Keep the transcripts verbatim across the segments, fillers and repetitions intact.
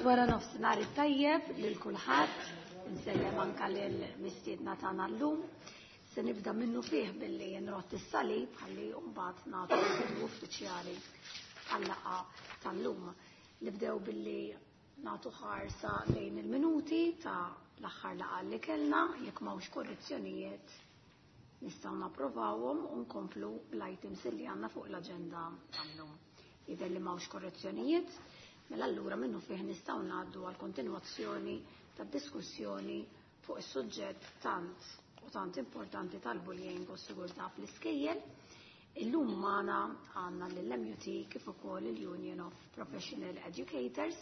Wara nofsinhar it-tajjeb lil kulħadd, insellem anka lil mistiedna tagħna llum. Se nibda minnu fih billi nrott is-salib ħalli mbagħad nagħtu l uffiċjali għal-laqgħa tal-lum. Nibdew billi nagħtu ħarsa lejn il-minuti ta' l-aħħar laqgħa li kellna, jekk m'hawnx korrezzjonijiet nistgħu napprovawhom u nkomplu l-items li għandna fuq l-aġenda tal-lum. Jidher li m'hawnx korrezzjonijiet, mela allura minnu fih nistgħu ngħaddu għal kontinwazzjoni tad-diskussjoni fuq is-suġġett tant u tant importanti tal-bullying u s-sigurtà fl-iskejjel. Illum magħna għandna lill-M U T kif ukoll il-Union of Professional Educators,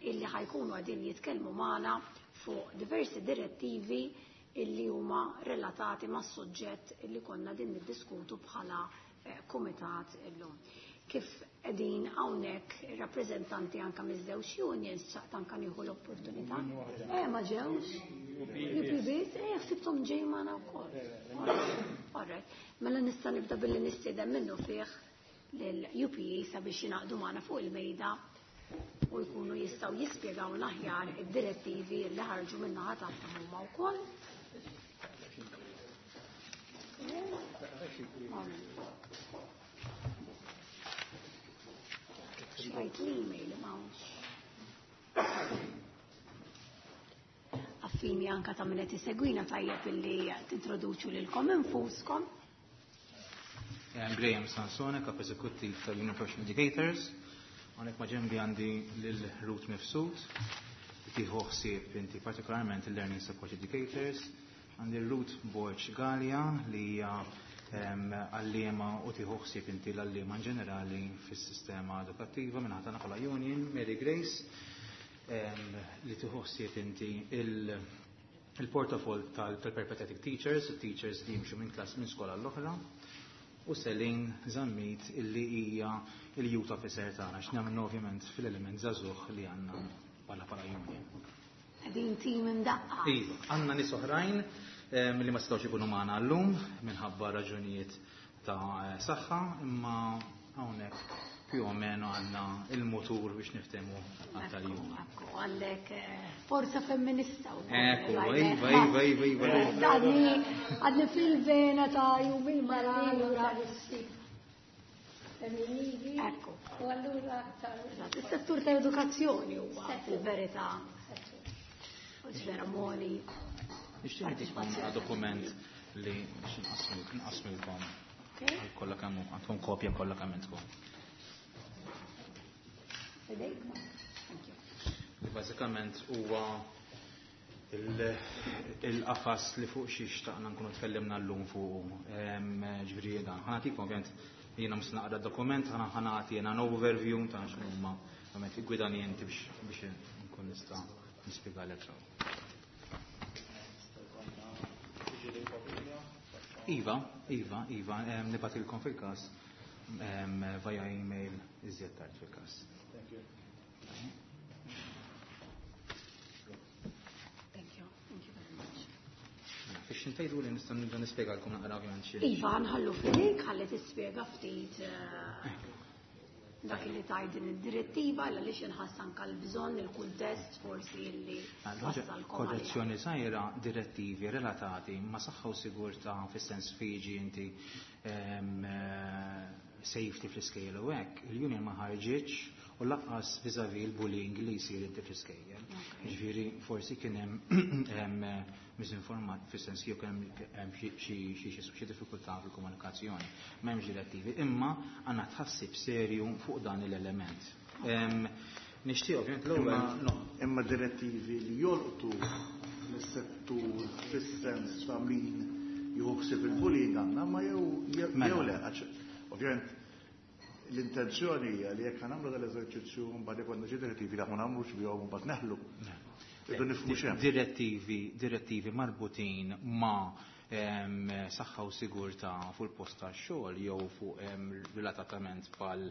illi ħa jkunu qegħdin jitkellmu magħna fuq diversi direttivi illi huma relatati mas-suġġett illi konna din niddiskutu bħala eh, kumitat illum. Kif qegħdin hawnhekk ir-rappreżentanti anke miż-żewġ unions, xtaqt anke nieħu l-opportunità. Eh, ma ġewx? U P biss? Eh, ħsibthom ġej magħna wkoll. Alright. Mela nista' nibda billi nistieden minnu fih lill-U P E sabiex jingħaqdu magħna fuq il-mejda u jkunu jistgħu jispjegaw aħjar id-direttivi li ħarġu min-naħa tagħhom huma wkoll. Xrajt l-email m'hawnx. Affini anka ta' min qed isegwina, tajjeb illi tintroduċu lilkom infuskom. Graham Sansone, kap eżekuttiv tal-Union Professional Educators. Hawnhekk ma' ġenbi għandi lil Ruth Mifsud, li tieħu ħsieb inti partikolarment il-Learning Support Educators. Għandi Ruth Borg Gallia, li hija għalliema u tieħu ħsieb inti l-għalliema in ġenerali fis-sistema edukattiva minn ħatana bħala Union, Mary Grace, li tieħu ħsieb inti il-portafol tal-peripatetic teachers, teachers li jimxu minn klass minn skola l-oħra, u Selin Zammit, illi hija il-youth officer tagħna, x'nagħmlu ovvjament fil-element żagħżugħ li għandna bħala bħala union. Qegħdin tim imdaqqa. Iva, għandna nies oħrajn li ma setgħux ikunu magħna llum minħabba raġunijiet ta' saħħa, imma hawnhekk più o meno għandna il-motur biex niftehmu għat-tal-jum. Ekku, għandek forza femminista. Ekku, iva, iva, iva, iva. Għadni, għadni fil-vena ta' jum il-mara. Allura. Femminili. Ekku. U allura. Is-settur ta' edukazzjoni huwa fil-verità. Vera moli. Nixtieq nagħtikom dokument li nqasmilkom. Kollha kemm għandkom kopja kollha kemm intkom. Bażikament huwa il-qafas li fuq xi xtaqna nkunu tkellimna llum fuq, ġifieri dan. Ħa nagħtikom, ovvjament jiena mhux naqra dokument, ħa nagħti jiena an overview ta' x'inhuma ovvjament igwidani inti biex nkun nista' nispjegalek sew. Iva, iva, iva, nibgħatilkom fil-każ via email iżjed tard fil-każ. Thank you. Thank you. Thank you very much. Biex intajdu li nista' nibda nispjegalkom naqra ovvjament xi. Iva, nħallu f'idejk ħalli tispjega ftit dak li tgħid din id-direttiva, għaliex inħass anke l-bżonn, il-kuntest forsi li wassalkom. Korrezzjoni żgħira: direttivi relatati ma' saħħa u sigurtà fis-sens fiġi inti safety fl-iskejjel u hekk, il-union ma ħarġitx, u lanqas vis-à-vis il-bullying li jsir inti fl-iskejjel. Ġifieri forsi kien hemm misinformat fis-sens jew kien hemm xi diffikultà fil-komunikazzjoni. M'hemmx direttivi, imma għandna tħassib serju fuq dan l-element. Nixtieq ovvjament l-ewwel. Imma direttivi li jolqtu l-settur fis-sens ta' min jieħu ħsieb il-bullying għandna, ma jew jew le, ovvjament l-intenzjoni hija li jekk nagħmlu dal-eżerċizzju, mbagħad ikollna xi direttivi li ma nagħmlux bihom u mbagħad neħlu. Irridu nifhmu x'hemm. Direttivi, direttivi marbutin ma' saħħa u sigurtà fuq il-post tax-xogħol jew fuq relatatament bħal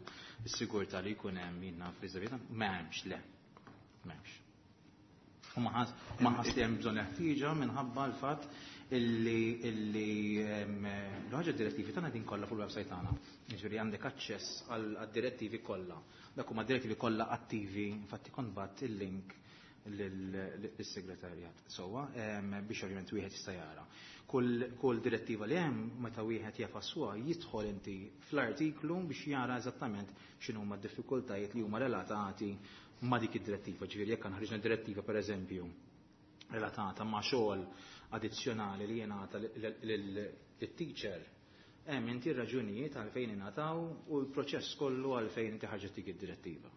sigurtà li jkun hemm jiena fiżavita, m'hemmx, le. M'hemmx. U ma ħass li hemm bżonn ħtieġa minħabba l-fatt illi illi l-ħaġa direttivi tagħna din kollha fuq il-website tagħna. Jiġifieri għandek aċċess għad-direttivi kollha. Dak huma direttivi kollha attivi, infatti kont bat il-link lis-segretarjat. Sewwa biex ovvjament wieħed jista' jara. Kull direttiva li hemm meta wieħed jafassuha jidħol inti fl-artiklu biex jara eżattament x'inhuma d-diffikultajiet li huma relatati ma' dik id-direttiva. Ġifieri jekk ħriġna direttiva pereżempju relatata ma' xogħol addizzjonali li jingħata lit-teacher, hemm inti r-raġunijiet għalfejn ingħataw u l-proċess kollu għalfejn inti ħarġet dik id-direttiva.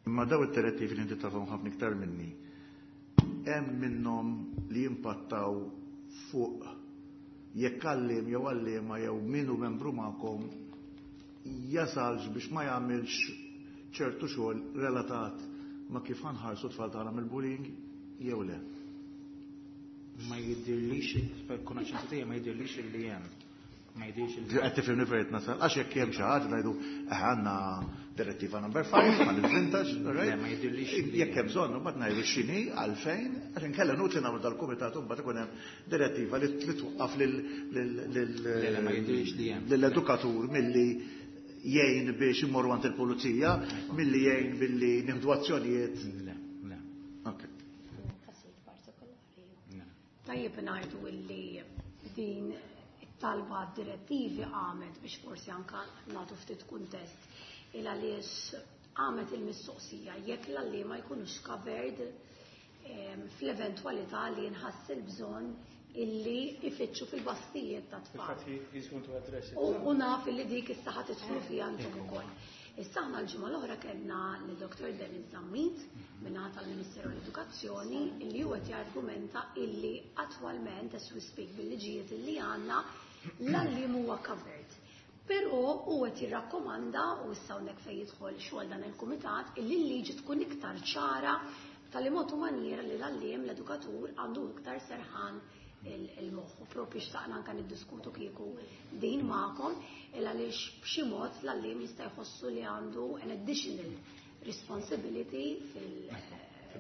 Imma daw id-direttivi li inti tafhom ħafna iktar minni, hemm minnhom li jimpattaw fuq jekk għalliem jew għalliema jew min hu membru magħkom jasalx biex ma jagħmilx ċertu xogħol relatat ma' kif ħanħarsu tfal tagħna mill-bullying jew le. Ma jidhirlix, fil-konoxenza tiegħi ma jidhirlix li hemm. Ma jidhirx li Qed tifhimni fejn nasal, għax jekk hemm xi ħaġa ngħidu eh għandna direttiva number five ma nivvintax, right? Le, ma jidhirlix li Jekk hemm bżonn mbagħad ngħidu x'inhi għalfejn, għax inkella nutli nagħmlu dal-kumitat u mbagħad ikun hemm direttiva li twaqqaf lil Le, le, ma jidhirlix li hemm. lill-edukatur milli jgħin biex immorru għand il-pulizija, milli jgħin billi nieħdu azzjonijiet. Le, le. Ok. Każijiet partikolari. Le. Tajjeb ngħidu illi din it-talba direttivi għamet biex forsi anka nagħtu ftit kuntest il għaliex għamet il-mistoqsija jekk l-għalliema jkunux covered em, fl-eventwalità li jinħass il-bżonn illi ifittxu fil-basktijiet ta' tfal. Fact, he, he's going to address it. U u naf illi dik issa ħa tidħlu fiha intom ukoll. Issa aħna l-ġimgħa l-oħra kellna lil Dr. Dennis Zammit min-naħa tal-Ministeru l-Edukazzjoni illi huwa qed jargumenta illi attwalment as we speak bil-liġijiet illi għandna l-għalliem huwa covered. Però huwa qed jirrakkomanda u issa hawnhekk fejn jidħol xogħol dan il-kumitat illi l-liġi tkun iktar ċara tal mod u maniera li l-għalliem l-edukatur għandu iktar serħan il-moħħ. U propju xtaqna anka niddiskutu kieku din magħkom il għaliex b'xi mod l-għalliem jista' jħossu li għandu an additional responsibility fil-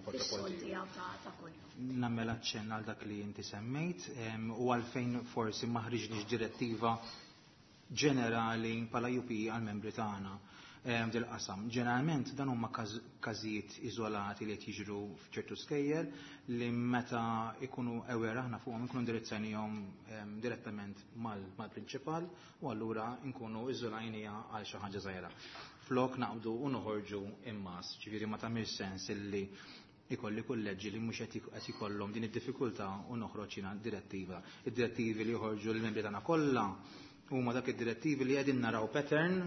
fix-xogħol tiegħu ta' ta' kuljum. Nagħmel aċċenn għal dak li inti semmejt em, u għalfejn forsi ma ħriġniex direttiva ġenerali bħala U P għal-membri tagħna em, dil-qasam. Ġeneralment dan huma każ- każijiet iżolati li qed jiġru f'ċertu skejjel li meta ikunu aware aħna fuqhom inkunu indirizzajnihom em, direttament mal- mal-prinċipal u allura nkunu iżolajniha għal xi ħaġa żgħira. Flok naqbdu u noħorġu immas, ġifieri ma tagħmilx sens illi ikolli kulleġġi li mhux qed qed ikollhom din id-diffikultà u noħroġ jiena direttiva. Id-direttivi li joħorġu l-membri tagħna kollha huma dak id-direttivi li qegħdin naraw pattern,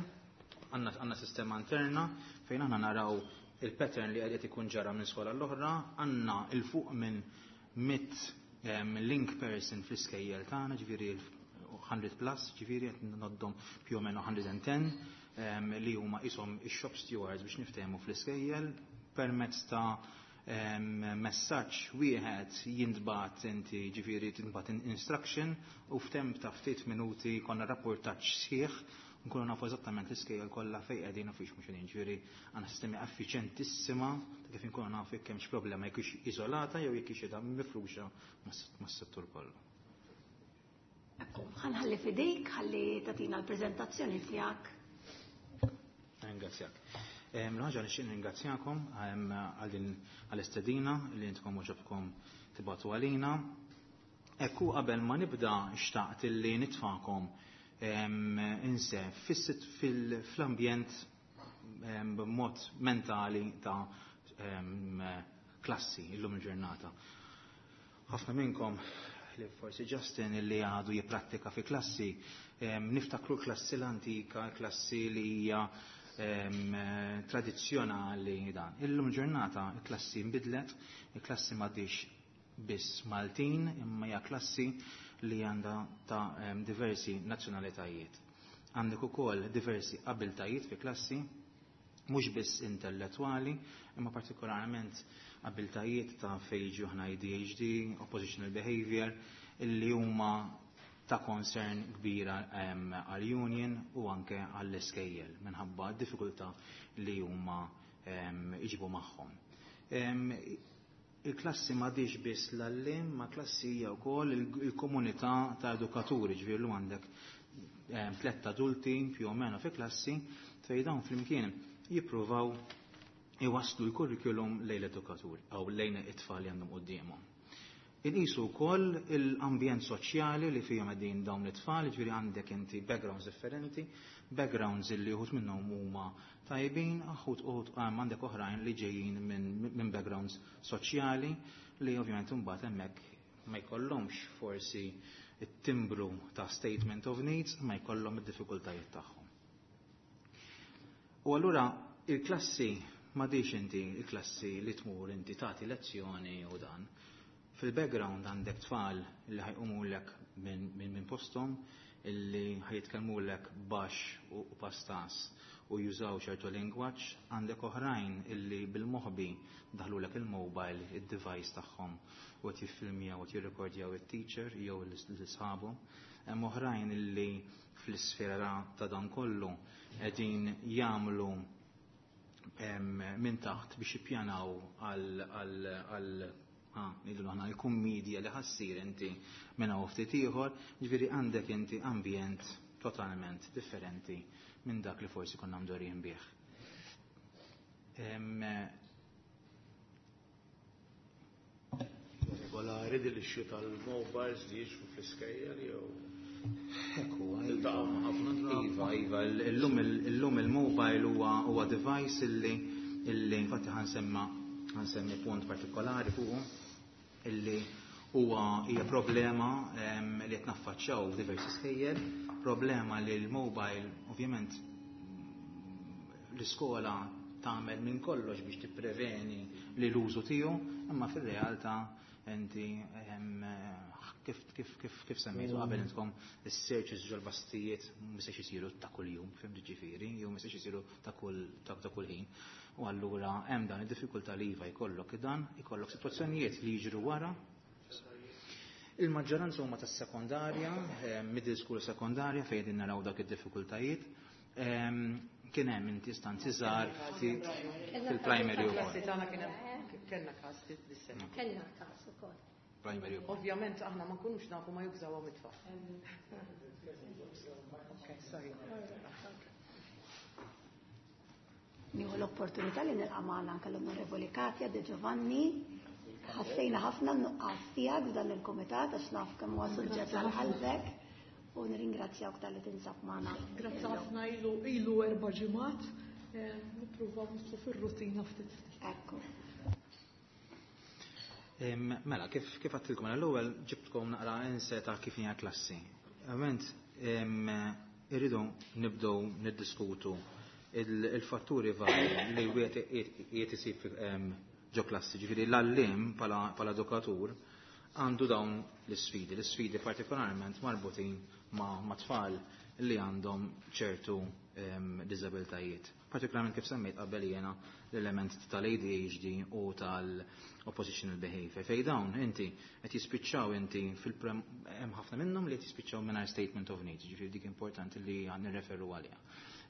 għandna għandna sistema interna fejn aħna naraw il-pattern li qed ikun ġara minn skola l-oħra, għandna il fuq minn mitt, em, link person fl-iskejjel tagħna, ġifieri hundred plus, ġifieri qed noddhom più o meno hundred and ten, em, li huma ishom ix-shop stewards biex niftehmu fl-iskejjel permezz ta' em, messaġġ wieħed jintbagħat inti ġifieri tintbagħat instruction u f'temp ta' ftit minuti konna rapportaġġ sħiħ nkunu nafu eżattament l-iskejjel kollha fejn qegħdin u fiex mhux qegħdin. Ġifieri għandna sistemi effiċjentissima ta' kif inkunu nafu jekk hemmx problema jekk hix iżolata jew jekk hix qiegħda mifruxa mas-settur kollu. Ekku, ħanħalli f'idejk, ħalli tagħtina l-preżentazzjoni tiegħek. Ringrazzjak. Em, L-ħaġa li xejn ringrazzjakom, em, għal din għall-istedina li intkom għoġobkom tibgħatu għalina. Ekku qabel ma nibda xtaqt illi nitfakom, em, inse fis-sit fil-, fl-ambjent, em, b'mod mentali ta', em, klassi illum il-ġurnata. Ħafna minnkom li forsi Justin illi għadu jipprattika fi klassi, em, niftakru klassi l-antika, klassi li hija, em, tradizzjonali dan. Illum ġurnata il-klassi nbidlet, il-klassi m'għadix biss Maltin, imma hija klassi li għandha ta', em, diversi nazzjonalitajiet. Għandek ukoll diversi abiltajiet fi klassi, mhux biss intellettwali, imma partikolarment abiltajiet ta' fejn jiġu aħna A D H D, oppositional behavior, illi huma ta' concern kbira, em, għal-union u anke għall-iskejjel minħabba d-diffikultà li huma, em, iġibu magħhom. Em, Il-klassi m'għadix biss l-għalliem, ma klassi hija wkoll il-komunità ta' edukaturi, ġifieri għandek tliet adulti più o meno fi klassi fejn dawn flimkien jippruvaw iwasslu l-kurrikulum lejn l-edukaturi jew lejn it-tfal li għandhom quddiemhom. Inqisu wkoll l-ambjent soċjali li fihom qegħdin dawn it-tfal, ġifieri għandek inti backgrounds differenti, backgrounds li uħud minnhom huma tajbin, uħud uħud għandek oħrajn li ġejjin minn backgrounds soċjali li ovvjament imbagħad hemmhekk ma jkollhomx forsi it-timbru ta' statement of needs, ma jkollhom id-diffikultajiet tagħhom. U allura il-klassi m'għadix inti il-klassi li tmur inti tagħti lezzjoni u dan. Fil-background għandek tfal li ħa jqumulek minn min, min posthom, illi ħa jitkellmulek baxx u, u pastas u jużaw ċertu lingwaġġ, għandek oħrajn illi bil-moħbi daħlulek il-mobile, il-device tagħhom u qed jiffilmjaw u jirrekordjaw it-teacher jew l-sħabu. Hemm oħrajn illi fl-isfera ta' dan kollu qegħdin jagħmlu minn taħt biex jippjanaw għal għal ngħidu aħna l-kummedja li ħa ssir inti minn hawn ftit ieħor, ġifieri għandek inti ambjent totalment differenti minn dak li forsi konna mdorrijin bih. Em, Regolari din l-issue tal-mobiles li jiġu fl-iskejjel jew Ekku, Tiltaqgħu ma' ħafna drabi. Iva, iva, illum illum il-mobile huwa huwa device illi illi infatti ħa nsemma ħa nsemmi punt partikolari fuqu illi huwa hija problema em, li qed naffaċċjaw f'diversi skejjel, problema li l-mobile ovvjament l-iskola tagħmel minn kollox biex tippreveni li l-użu tiegħu, imma fir-realtà inti em, kif kif kif kif semmejtu qabel intkom is-searches ġol-basktijiet mhux isiru ta' kuljum, fhimt ġifieri, jew mhux isiru ta' kull ta' ta' kull ħin. U allura hemm dan id-diffikultà li iva jkollok dan, ikollok sitwazzjonijiet li jiġru wara. Il-maġġoranza huma tas-sekondarja, eh, middle school sekondarja fejn qegħdin naraw dak id-diffikultajiet. Em, Kien hemm inti istanzi żgħar ftit fil-primary Klassi ukoll. tagħna kien hemm kellna każ dis-sena. Kellna każ ukoll. Primary ukoll. Ovvjament aħna ma nkunux nafu ma jużawhom it-tfal. Okay, sorry. Nieħu l-opportunità li nilqa' magħna anke l-Onorevoli Katja De Giovanni. Ħassejna ħafna n-nuqqas tiegħek f'dan il-kumitat għax naf kemm huwa suġġett għal qalbek u nirringrazzjawk talli tinsab magħna. Grazzi ħafna ilu ilu erba' ġimgħat, eh, nippruvaw nidħlu fir-rutina ftit ftit. Ekku. Em, Mela, kif kif għedtilkom l-ewwel ġibtkom naqra insight ta' kif hija klassi. Ovvjament em, irridu nibdew niddiskutu il- il-fatturi varji li wieħed qiegħed isib em, ġo klassi. Ġifieri l-għalliem bħala bħala edukatur għandu dawn l-isfidi, l-isfidi partikolarment marbutin ma' ma' tfal li għandhom ċertu em, diżabiltajiet. Partikolarment kif semmejt qabel jiena l-element tal-A D H D u tal-oppositional behavior. Fej dawn inti qed jispiċċaw inti fil hemm ħafna minnhom li qed jispiċċaw mingħajr statement of needs, ġifieri dik importanti li għan nirreferu għaliha.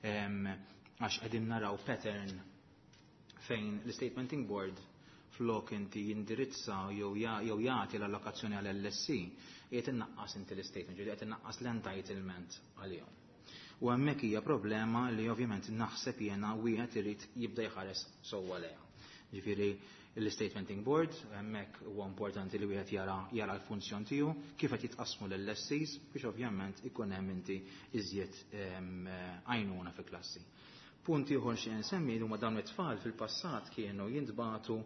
Em, Għax qegħdin naraw pattern fejn l-statementing board flok inti jindirizza jew ja- jew jagħti l-allokazzjoni għal L S E qiegħed innaqqas inti l-statement, ġifieri qed innaqqas l-entitlement għalihom. U hemmhekk hija problema li ovvjament naħseb jiena wieħed irid jibda jħares sewwa lejha. Ġifieri l-statementing board hemmhekk huwa importanti li wieħed jara jara l-funzjon tiegħu kif qed jitqasmu l-L S Es biex ovvjament ikun hemm inti iżjed em, għajnuna fi klassi. Punt ieħor xi nsemmi huma dawn it-tfal fil-passat kienu jintbagħtu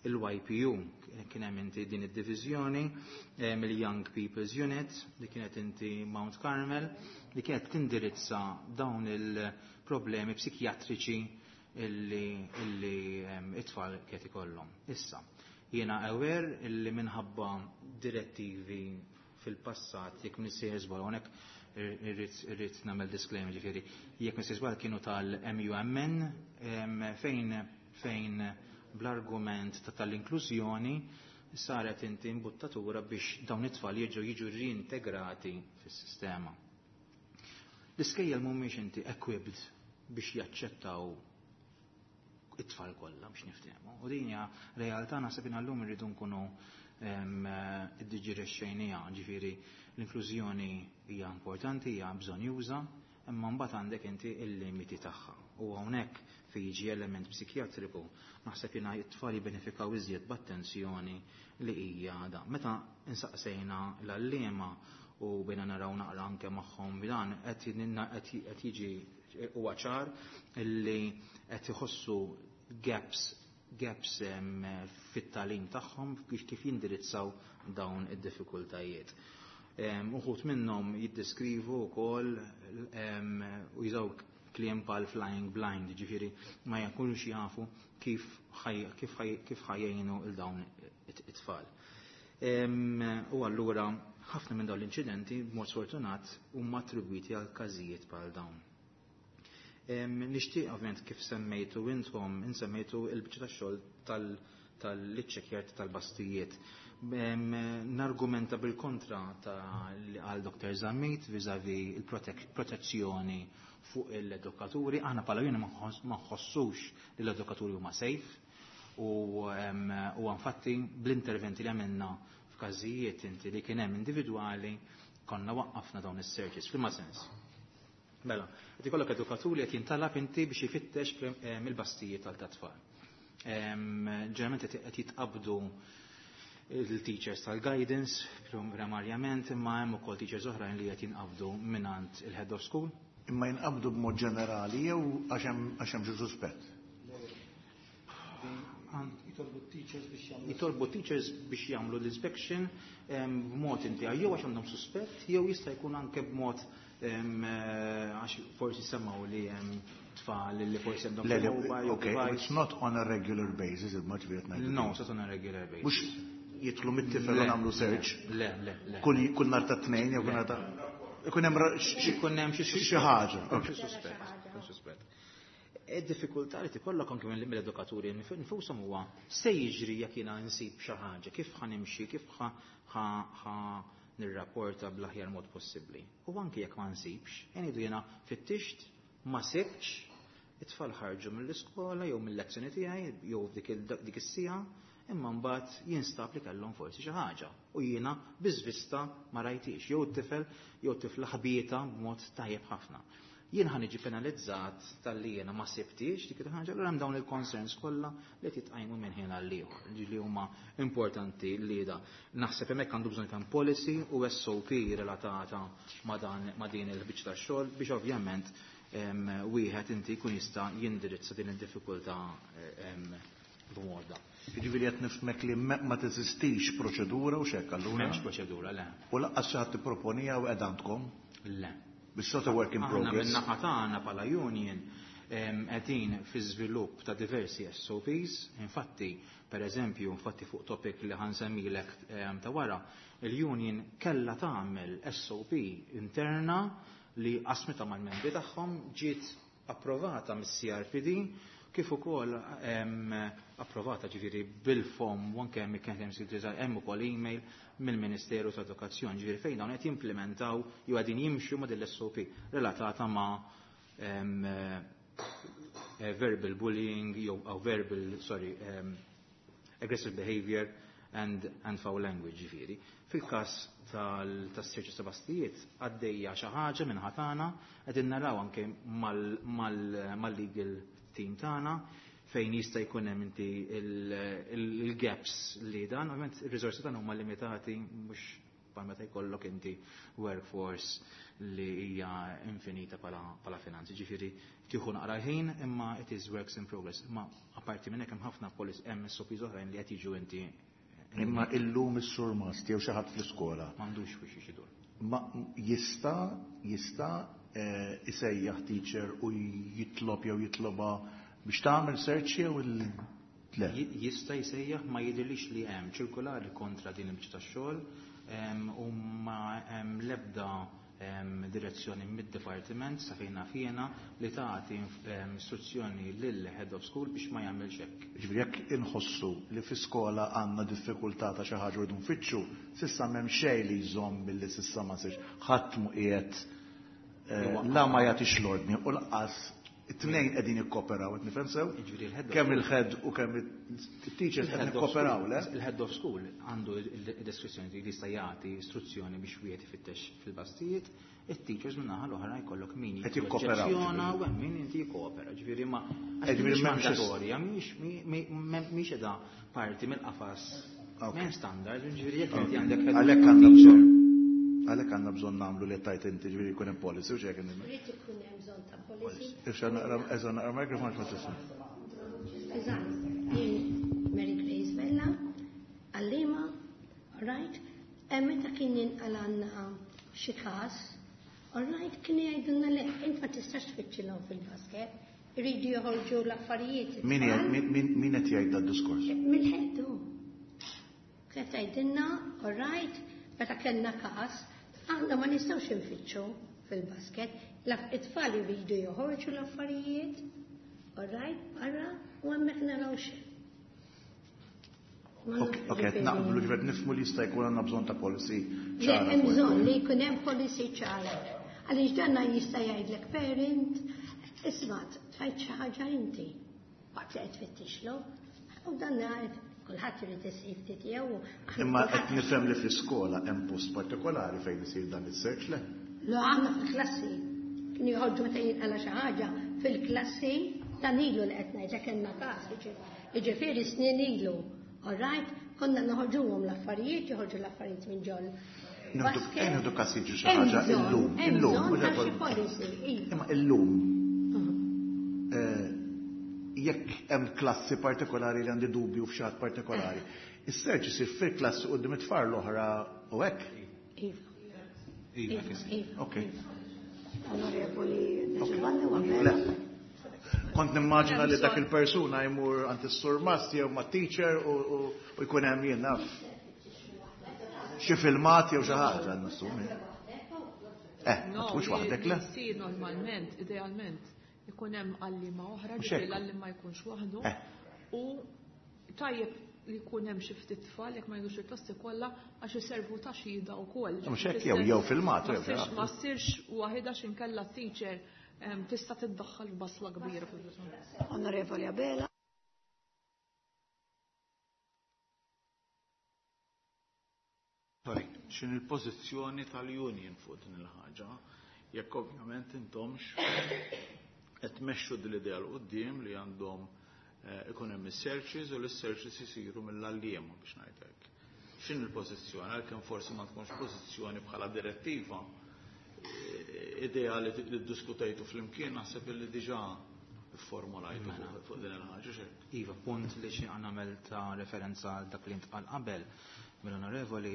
il-Y P U, kien hemm inti din id-diviżjoni mill-Young People's Unit li kienet inti Mount Carmel li kienet tindirizza dawn il-problemi psikjatriċi illi, illi em, it-tfal kienet ikollhom. Issa, jiena aware illi minħabba direttivi fil-passat, jekk m'iniex żball, hawnhekk irrid irrid nagħmel disclaimer ġifieri, jekk m'iniex żball kienu tal-M U M N em, fejn fejn bl-argument ta' tal-inklużjoni saret inti imbuttatura biex dawn it-tfal jiġu jiġu reintegrati fis-sistema. L-iskejjel mhumiex inti equipped biex jaċċettaw it-tfal kollha li jiġu it-tfal kollha biex niftehmu. U din hija realtà naħseb llum irridu nkunu iddiġerixxejniha, ġifieri l-inklużjoni hija importanti, hija bżonnjuża, imma mbagħad għandek inti il-limiti tagħha. U hawnhekk fejn jiġi element psikjatriku, naħseb jiena t-tfal jibbenefikaw iżjed b'attenzjoni li hija da. Meta insaqsejna l-għalliema u bejna naraw naqra anke magħhom b'dan qed jiġi huwa ċar illi qed iħossu gaps gaps fit-tagħlim tagħhom kif jindirizzaw dawn id-diffikultajiet. Uħud minnhom jiddeskrivu wkoll u jużaw kliem bħal flying blind, ġifieri ma jkunux jafu kif kif ħa jgħinu 'l dawn it-tfal. U allura ħafna minn dawn l-inċidenti b'mod sfortunat huma attribwiti għal każijiet bħal dawn. Nixtieq ovvjament kif semmejtu intom, insemmejtu il-biċċa tax-xogħol tal-iċċekkjar tal-basktijiet. Nargumenta bil-kontra ta' għal Doktor Zammit vis-a-vis il-protezzjoni fuq l-edukaturi. Aħna bħala union ma nħossux li l-edukaturi huma safe u infatti bl-interventi li għamilna f'każijiet inti li kien hemm individwali konna waqqafna dawn is-searches. F'liema sens? Mela, qed ikollok edukaturi qed jintalab inti biex jifittex mill-basktijiet tal-tfal. Ġeneralment qed jitqabdu il-teachers tal-guidance primarjament, imma hemm ukoll teachers oħrajn li qed jinqabdu mingħand il-head of school. Imma jinqabdu b'mod ġenerali jew għax hemm xi suspett? Jitolbu teachers biex jagħmlu. Jitolbu teachers biex jagħmlu l-inspection b'mod inti jew għax għandhom suspett jew jista' jkun anke b'mod għax forsi semgħu li hemm tfal li forsi għandhom mobile. Okay, it's not on a regular basis, il ġifieri ngħidu. No, it's not on a regular basis. Mhux jidħlu mit-tifel u nagħmlu search. Le, le, le. Kull nhar ta' Tnejn jew kull nhar ta' ikun hemm ikun hemm xi ħaġa. Xi suspett, suspett. Id-diffikultà li tikollok anke mill-edukaturi nfushom huwa se jiġri jekk jiena nsib xi ħaġa, kif ħa nimxi, kif ħa nirrapporta bl-aħjar mod possibbli. U anke jekk ma nsibx, ngħidu jiena fittixt, ma sibx, it-tfal ħarġu mill-iskola jew mill-lezzjoni tiegħi jew dik is-siegħa, imma mbagħad jinstab li kellhom forsi xi ħaġa u jiena biżvista ma rajtix jew t-tifel jew tifla ħbieta b'mod tajjeb ħafna. Jien ħa niġi penalizzat talli jiena ma sibtix dik il-ħaġa, allura hemm dawn il-concerns kollha li titqajmu minn ħin għal ieħor li huma importanti li da. Naħseb hemmhekk għandu bżonn kemm policy u S O P relatata ma' dan ma' din il-biċċa tax-xogħol biex ovvjament wieħed inti jkun jista' jindirizza din id-diffikultà b'mod da. Jiġifieri qed nifhmek li ma teżistix proċedura u xek allura? M'hemmx proċedura, le. U lanqas xi ħadd tipproponija u qed għandkom? Le. It's not a work in progress. Aħna min-naħa tagħna bħala union qegħdin fi żvilupp ta' diversi S O Ps, infatti, per eżempju, infatti fuq topic li ħa nsemmilek ta' wara, il-union kella tagħmel S O P interna li qasmita mal-membri tagħhom, ġiet approvata mis-C R P D kif ukoll approvata ġifieri bil-fom u anke hemm kien hemm hemm ukoll email mill-Ministeru ta' Edukazzjoni, ġifieri fejn dawn qed jimplementaw jew qegħdin jimxu ma' din l-S O P relatata ma' eh, verbal bullying jew verbal, sorry, aggressive behavior and, and foul language ġifieri. Fil-każ tas-search ta' basktijiet għaddejja xi ħaġa minn ħatana, qegħdin naraw anke mal-legal team tagħna fejn jista' jkun hemm inti il-gaps li dan, ovvjament ir-riżorsi tagħna huma limitati, mhux bħal meta jkollok inti workforce li hija infinita bħala finanzi. Ġifieri tieħu naqra ħin, imma it is works in progress. Imma apparti minn hekk hemm ħafna policy, hemm S O Ps oħrajn li qed jiġu inti. Imma illum is-surmast jew xi ħadd fl-iskola. M'għandux biex idur. Ma jista' jista' eh, isejjaħ teacher u jitlob jew jitloba biex tagħmel search jew le? Jista' jsejjaħ, ma jidhirlix li hemm ċirkulari kontra din il-biċċa tax-xogħol u ma hemm l-ebda direzzjoni mid-dipartiment sa fejn jiena li tagħti istruzzjoni lil head of school biex ma jagħmilx hekk. Ġifieri jekk inħossu li fi skola għandna diffikultà ta' xi ħaġa rridu nfittxu, s'issa m'hemm xejn li jżomm billi s'issa ma sirx ħadd mu qiegħed eh, la ma jagħtix l-ordni u lanqas It-tnejn qegħdin jikkoperaw, qed nifhem sew? Kemm il-head u kemm it-teachers qed nikkoperaw, le? Il-head of school għandu il-deskrizzjoni li jista' jagħti istruzzjoni biex wieħed ifittex fil-bastijiet, it-teachers minn naħa l-oħra jkollok min jikkoopera u hemm min inti jikkopera, ġifieri ma mhix mandatorja, mhix mhix qiegħda parti mill-qafas. M'hemm standard, ġifieri jekk inti għandek għalhekk għandna bżonn għalhekk għandna bżonn nagħmlu li tajt inti ġifieri jkun hemm policy u x'hekk. Irid ikun hemm bżonn ta' policy. Ifxa naqra eża naqra microphone ma tisma'. Eżatt, jien Mary Grace Vella, għallima, all right, meta kien jinqalanna xi każ, all right, kien jgħidulna le, int ma tistax tfittxilhom fil-basket, iridu joħorġu l-affarijiet. Min min qed jgħid dad-diskors? Mill-ħedu. Kien tgħidilna, all right, meta kellna każ, aħna ma nistgħux infittxu fil-basket, it-tfal iridu joħorġu l-affarijiet, all right, barra, u hemmhekk naraw xejn. Ok, naqblu ġifieri nifhmu li jista' jkun għandna bżonn ta' policy ċara. Hemm bżonn li jkun hemm policy ċara. Għaliex danna jista' jgħidlek parent, isma' tfajt xi ħaġa inti waqt li qed tfittixlu. U danna kulħadd irid isib ftit tiegħu. Imma qed nifhem li fl-iskola hemm post partikolari fejn isir dan is-search le? Le, għandna fil-klassi. Kien joħorġu meta jinqala xi ħaġa fil-klassi dan ilu li qed ngħidlek kellna każ, jiġifieri snin ilu. All right, konna noħorġuhom l-affarijiet, joħorġu l-affarijiet minn ġol. Nieħdu każ jiġri xi ħaġa illum, illum, imma illum. Jekk hemm klassi partikolari li għandi dubju f'xi partikolari, is-search isir fil-klassi quddiem it-tfal l-oħra u hekk? Iva. Iva. Ok. Onorevoli Giovanni Wabella. Kont nimmaġina li dak il-persuna jmur għand is-surmast jew ma' teacher u jkun hemm jien naf xi filmat jew xi ħaġa nassumi. Eh, ma tkunx waħdek le? Jsir normalment, idealment, ikun hemm għalliema oħra, ġifieri l-għalliem ma jkunx waħdu. U tajjeb li jkun hemm xi ftit tfal jekk ma jgħidux il-klassi kollha għax iservu ta' xhieda wkoll. Mhux hekk jew jew filmat jew. Ma ssirx waħedha x'inkella teacher tista' tiddaħħal f'basla kbira fil-bżonn. Onorevoli Abela. Sorry, x'in il-pożizzjoni tal-union fuq din il-ħaġa, jekk ovvjament intomx qed tmexxu din l-idea l quddiem li għandhom ikun hemm is-searches u l-searches isiru mill-għalliema biex ngħid hekk. X'in il-pożizzjoni, għalkemm forsi ma tkunx pożizzjoni bħala direttiva, idea li ddiskutejtu flimkien naħseb li diġà formulajtu fuq din il-ħaġa xejn. Iva, punt li xi nagħmel ta' referenza għal dak li ntqal qabel mill-onorevoli,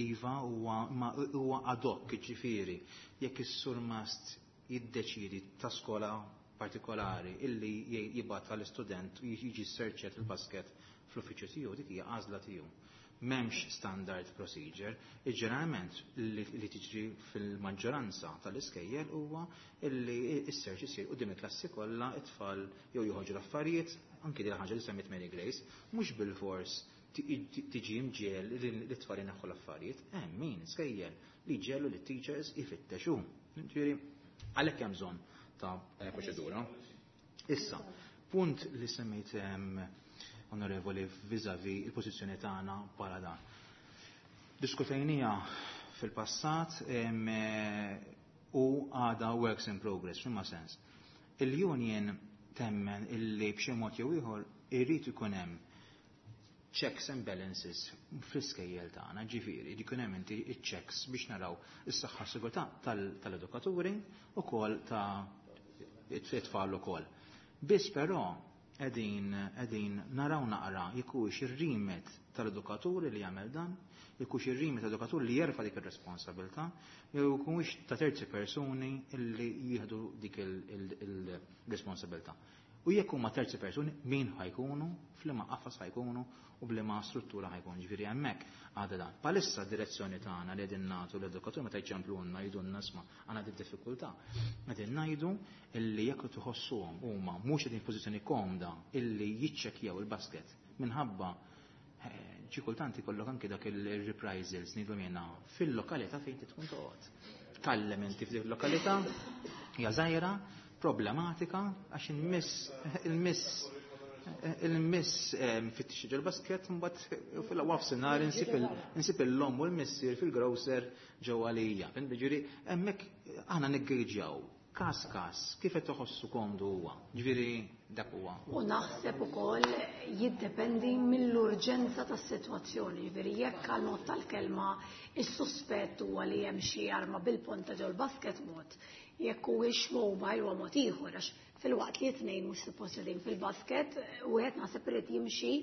iva huwa ad hoc, ġifieri, jekk is-surmast jiddeċidi ta' skola partikolari illi jibgħat għall-istudent u jiġi searchet il-basket fl-uffiċċju tiegħu, dik hija għażla tiegħu. M'hemmx standard procedure, ġeneralment li tiġri fil-maġġoranza tal-iskejjel huwa illi s-search isir quddiem il-klassi kollha, it-tfal jew joħorġu l-affarijiet, anki din ħaġa li semmiet Mary Grace, mhux bilfors tiġi mġiel li t-tfal jneħħu l-affarijiet, hemm min iskejjel li ġelu li teachers ifittexu. Ġifieri għalhekk hemm bżonn ta' proċedura. Issa, punt li semmejt onorevoli vis-a-vis il-pożizzjoni tagħna bħala dan. Diskutejnija fil-passat u għada works in progress, f'imma sens. Il-union temmen illi b'xi mod jew ieħor irid ikun hemm checks and balances fl-iskejjel tagħna, ġifieri jkun hemm inti iċ-checks biex naraw is-saħħa sigurtà tal-edukaturi ukoll ta' it-tfal ukoll. Biss però qegħdin qegħdin naraw naqra jekk ir-rimet tal-edukaturi li jagħmel dan, jekk ir-rimet tal-edukatur li jerfa' dik ir-responsabilità, jew jkunx ta' terzi persuni li jieħdu dik il-responsabilità. U jekk huma terzi persuni, min ħajkunu, f'liema qafas ħajkunu u b'liema struttura ħajkunu. Ġifieri hemmhekk għadha dan. Palissa d-direzzjoni tagħna li qegħdin nagħtu l-edukatur meta jċemplunna jgħidulna isma' għandna di diffikultà. Qegħdin ngħidu illi jekk tħossuhom huma mhux qegħdin f'pożizzjoni komda illi jiċċekkjaw il-basket minħabba xi kultant ikollok anke dak il-reprisals ngħidu jiena fil-lokalità fejn tkun toqgħod. Tgħallem inti f'dik il-lokalità hija żgħira, Problematika għax il-miss il-miss il-miss fittix ġol-basket mbagħad fil-wafsinhar insib il-lom u l-missier fil-grocer ġewwa għalija. Ġifieri hemmhekk aħna niggejġjaw każ każ kif qed toħossu komdu huwa. Ġifieri dak huwa. U naħseb ukoll jiddependi mill-urġenza tas-sitwazzjoni. Ġifieri jekk għal mod tal-kelma is-suspett huwa li hemm xi arma bil-ponta ġol-basket mod, jekk huwiex mobile huwa mod ieħor għax fil-waqt li tnejn mhux suppost qegħdin fil-basket, wieħed naħseb irid jimxi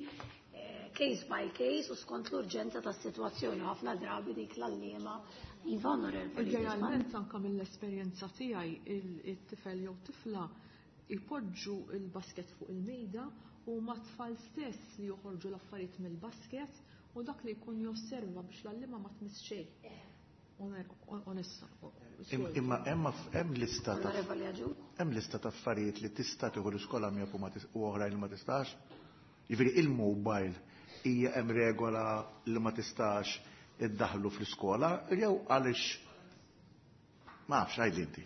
case by case u skont l-urġenza tas-sitwazzjoni ħafna drabi dik l-għalliema iva onorevoli. Idealment anke mill-esperjenza tiegħi it-tifel jew tifla jpoġġu il-basket fuq il-mejda u ma tfal stess li joħorġu l-affarijiet mill-basket u dak li jkun josserva biex l-għalliema ma tmiss xejn. Onesta. Imma hemm lista ta' hemm lista ta' affarijiet li tista' tieħu l-iskola miegħek u oħrajn li ma tistax. Jiġifieri il-mobile hija hemm regola li ma tistax iddaħlu fl-iskola jew għaliex ma nafx għidli inti.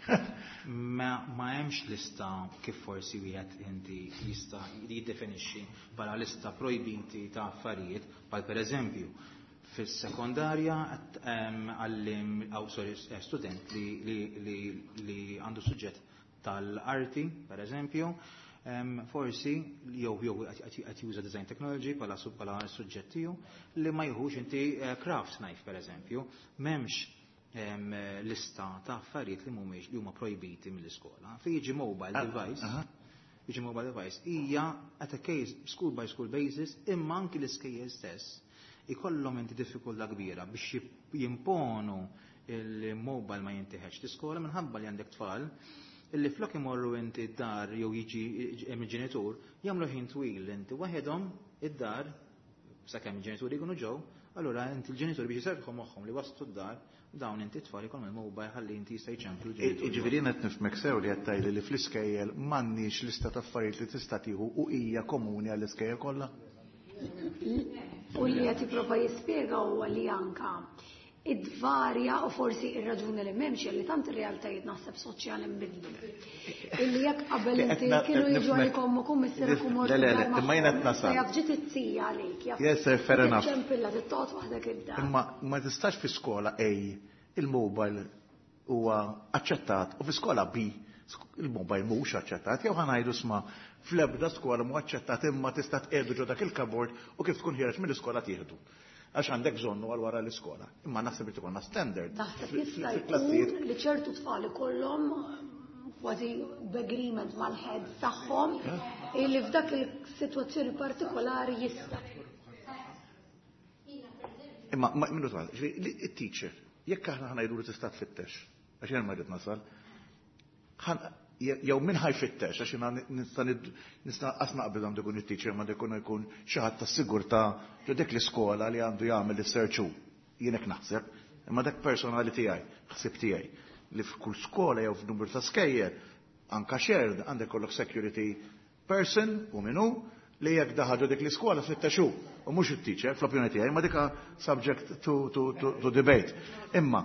Ma hemmx lista kif forsi wieħed inti jista' jiddefinixxi bħala lista projbiti ta' affarijiet, bħal pereżempju fis-sekondarja għallim aw sorry student li li li għandu suġġett tal-arti, pereżempju, forsi jew jew qed juża design technology bħala bħala suġġett tiegħu li ma jieħux inti craft knife pereżempju, m'hemmx lista ta' affarijiet li mhumiex li huma projbiti mill-iskola. Fi jiġi mobile device, jiġi mobile device hija at a case school by school basis imma anki l-iskejjel stess ikollhom inti diffikultà kbira biex jimponu il-mobile ma jintiħex l-iskola minħabba li għandek tfal illi flok imorru inti d-dar jew jiġi il-ġenitur jagħmlu ħin twil inti waħedhom id-dar sakemm il-ġenituri jkunu ġew, allura inti l-ġenituri biex jiserħu moħħhom li waslu d-dar dawn inti tfal ikollhom il-mobile ħalli inti jista' jċemplu l-ġenituri. Jiġifieri jien qed nifhmek sew li qed tgħidli li fl-iskejjel m'għandniex lista ta' affarijiet li tista' tieħu u hija komuni għall-iskejjel kollha? U li qed jipprova jispjega huwa li anka id-varja u forsi ir-raġuni li m'hemmx li tant ir-realtajiet naħseb soċjali nbidlu. Illi jekk qabel inti kienu jiġu għalikom u kum missierek u mortu. Le, le, imma jien qed nasal. Jaf ġiet it-tija għalik, jaf. Yes, sir, fair enough. Ċempilla tittoqgħod waħdek id-dar. Imma ma tistax fi skola A il-mobile huwa aċċettat u fi skola B il-mobile mhux aċċettat, jew ħa ngħidu sma fl-ebda skola mhu aċċettat imma tista' tqiegħdu ġo dak il-kabord u kif tkun ħiereġ mill-iskola tieħdu. Għax għandek bżonnu għal wara l-iskola. Imma naħseb li tkollna standard. Naħseb jista' jkun li ċertu tfal ikollhom kważi b'agreement mal-head tagħhom illi f'dak il-sitwazzjoni partikolari jista'. Imma minnu tfal, it-teacher, jekk aħna ħa ngħidu li tista' tfittex, għax jien ma rrid nasal, jew min ħa jfittex, għax jiena nista' nista' qas naqbel għandu jkun it-teacher ma jkun jkun xi ħadd tas-sigurtà ġo dik l-iskola li għandu jagħmel is-search hu. Jien hekk naħseb, imma dak personali tiegħi, ħsieb tiegħi, li f'kull skola jew f'numru ta' skejjel, anka shared, għandek kollok security person u min hu li jekk daħal ġo dik l-iskola fittex hu, u mhux it-teacher, fl-opinjoni tiegħi, ma dika subject to, to, to, to debate. Imma,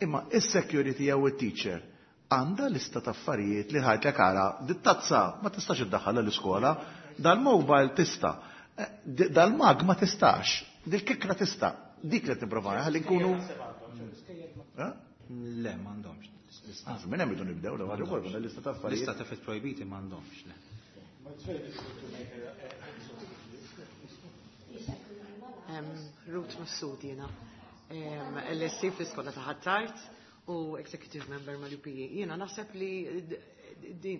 imma is-security jew it-teacher għandha lista ta' affarijiet li ħajtlek ara, dit-tazza ma tistax iddaħħalha l-iskola, dal-mobile tista', dal-mug ma tistax, dil-kikra tista', dik li tipprova ħalli nkunu. Le, m'għandhomx. Ah, minn hemm irridu nibdew l-ewwel ukoll lista ta' affarijiet. Lista ta' affarijiet projbiti m'għandhomx, le. Ruth Mifsud jiena. L S C fl-iskola ta' Ħ'Attard u executive member mal-U P E. Jiena naħseb li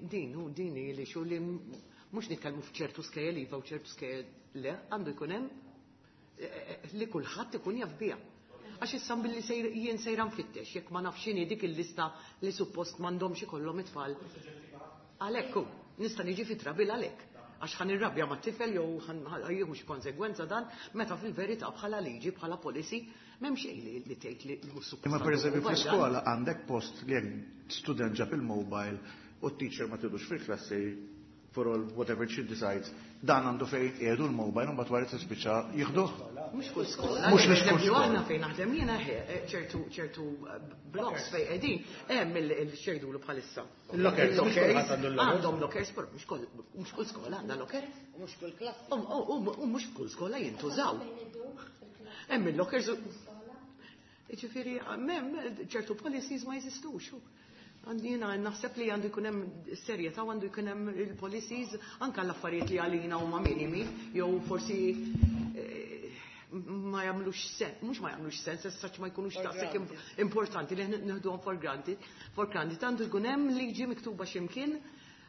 din u din li xu li mhux nitkellmu f'ċertu skejjel iva u ċertu skejjel le, għandu jkun hemm li kulħadd ikun jaf biha. Għax issa billi jien sejra nfittex, jekk ma nafx x'inhi dik il-lista li suppost m'għandhomx ikollhom it-tfal. Għalhekk hu, nista' niġi fi trabil għalhekk. Għax ħan irrabja mat-tifel jew jieħu xi konsegwenza dan, meta fil-verità bħala liġi, bħala policy, m'hemm xejn li, li tgħid li mhux suppost. Imma pereżempju fl-iskola għandek post li jekk student ġab il-mobile u t-teacher ma tidux fil-klassi for all whatever she decides, dan għandu fejn qiegħdu l-mobile u mbagħad wara tispiċċa jieħduh. Mhux kull skola. Mhux mhux kull skola. Aħna fejn naħdem jiena ċertu ċertu blocks fejn qegħdin hemm il-xejdulu bħalissa. Il-lockers. Għandhom lockers, però mhux kull skola għandha locker. Mhux kull klassi. U mhux kull skola jintużaw. Hemm il-lockers. Jiġifieri m'hemm ċertu policies ma jeżistux. Jiena naħseb li għandu jkun hemm serjetà u għandu jkun hemm il-policies anke l-affarijiet li għalina huma minimi jew forsi ma jagħmlux sens, mhux ma jagħmlux sens, as such ma jkunux daqshekk importanti li nieħduhom for granted. For granted għandu jkun hemm liġi miktuba x'imkien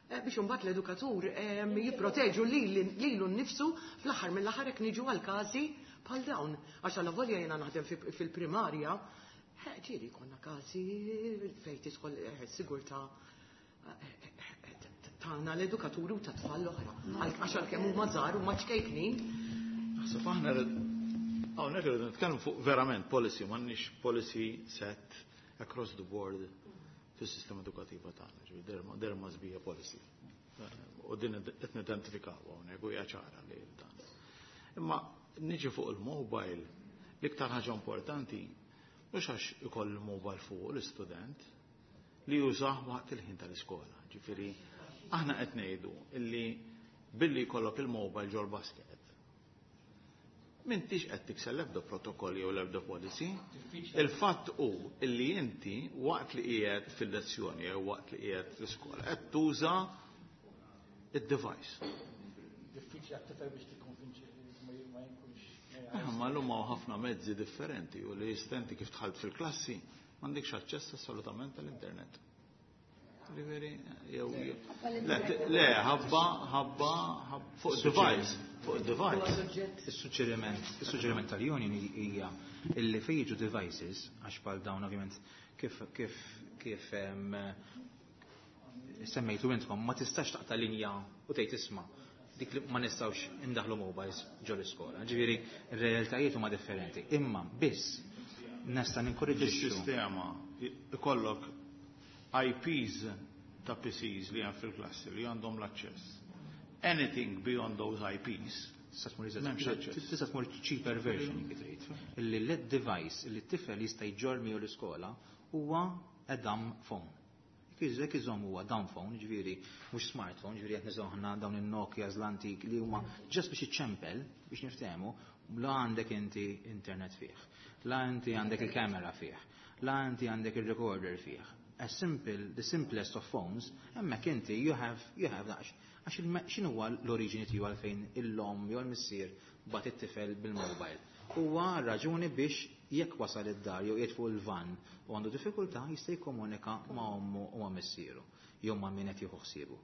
biex imbagħad l-edukatur jipproteġu lilu nnifsu fl-aħħar mill-aħħar jekk niġu għal każi bħal dawn. Għax allavolja jiena naħdem fil-primarja, ġieli konna każi fejn tidħol sigurtà tagħna l-edukaturi u ta' tfal l-oħra. Għax għalkemm huma żgħar huma ċkejknin. Naħseb aħna hawnhekk irridu nitkellmu fuq verament policy, m'għandniex policy set across the board fis-sistema edukattiva tagħna, ġifieri there must be a policy. U din qed nidentifikaw hawnhekk u hija ċara li dan. Imma niġi fuq il-mobile, l-iktar ħaġa importanti mhux għax ikoll il-mobile fuq l-istudent li jużah waqt il-ħin tal-iskola. Ġifieri aħna qed ngħidu illi billi jkollok il-mobile ġol basket m'intix qed tikser l-ebda protokolli jew l-ebda policy. Il-fatt hu illi inti waqt li qiegħed fil-lezzjoni jew waqt li qiegħed fl-iskola qed tuża id-device. Diffiċli għat-tifel biex tikkonvinċi ma jkunx. Ma llum hawn ħafna mezzi differenti u li istenti kif dħalt fil-klassi m'għandekx aċċess assolutament għall-internet. Ġifieri jew le ħabba ħabba fuq device, fuq device. Is-suġġeriment, is-suġġeriment tal-union hija illi fejn jiġu devices għax bħal dawn ovvjament kif kif kif semmejtu intkom ma tistax taqta' linja u tgħid isma' dik li ma nistgħux indaħlu mobiles ġol iskola. Ġifieri r-realtajiet huma differenti. Imma biss nista' ninkoraġġixxu. Is-sistema ikollok I Ps ta' P Cs li hemm fil-klassi li għandhom l-aċċess. Anything beyond those I Ps m'hemmx aċċess. Tista' tmur cheaper version jekk trid. Illi l device li t-tifel jista' jġorr miegħu l-iskola huwa a dumb phone. Jekk iżomm huwa dumb phone, ġifieri mhux smartphone, ġifieri qed niżgħu aħna dawn in-Nokias l-antik li huma ġast biex iċċempel biex niftehmu, la għandek inti internet fih, la inti għandek il-kamera fih, la inti għandek il-recorder fih. A simple, the simplest of phones, hemmhekk inti you have, you have that. Għax x'inhu huwa l-oriġini tiegħu għalfejn il-lom jew l-missier bagħat it-tifel bil-mobile. Huwa raġuni biex jekk wasal id-dar jew qiegħed fuq il-van u għandu diffikultà jista' jikkomunika ma' ommu u ma' missieru jew ma' min qed jieħu ħsiebu.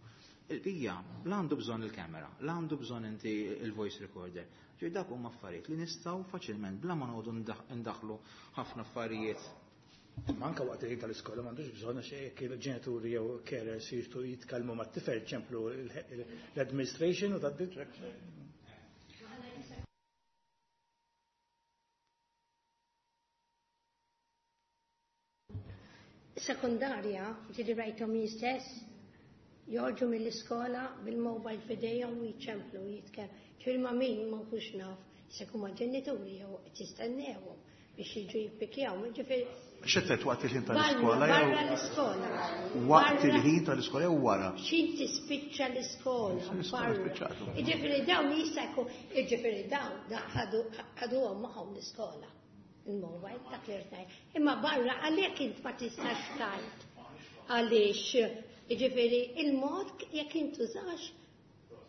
Il-bija la għandu bżonn il-kamera, la għandu bżonn inti il-voice recorder. Ġifieri dak huma affarijiet li nistgħu faċilment bla ma noqogħdu ndaħlu ħafna affarijiet. Ma anke waqt il-ħin tal-iskola m'għandux bżonn għax jekk il-ġenituri jew carers jridu jitkellmu mat-tifel ċemplu l-administration u tgħaddi. Sekundarja, ġieli rajthom jien stess, joħorġu mill-iskola bil-mobile f'idejhom u jiċċemplu u jitkellmu. Ġifieri ma' min ma nkunx naf, se jkun ma' ġenituri jew qed jistennewhom biex jiġu jippikjaw. Ġifieri X'qed waqt il-ħin tal-iskola jew Barra l-iskola. Waqt il-ħin tal-iskola jew wara? Xi tispiċċa l-iskola, L-iskola barra. spiċċatu. Jiġifieri dawn jista' jkun, jiġifieri dawn ħaduhom magħhom l-iskola. Il-mobile dak li rtajt. Imma barra għalhekk int ma tistax tgħid. Għaliex, jiġifieri il-mod jekk intużax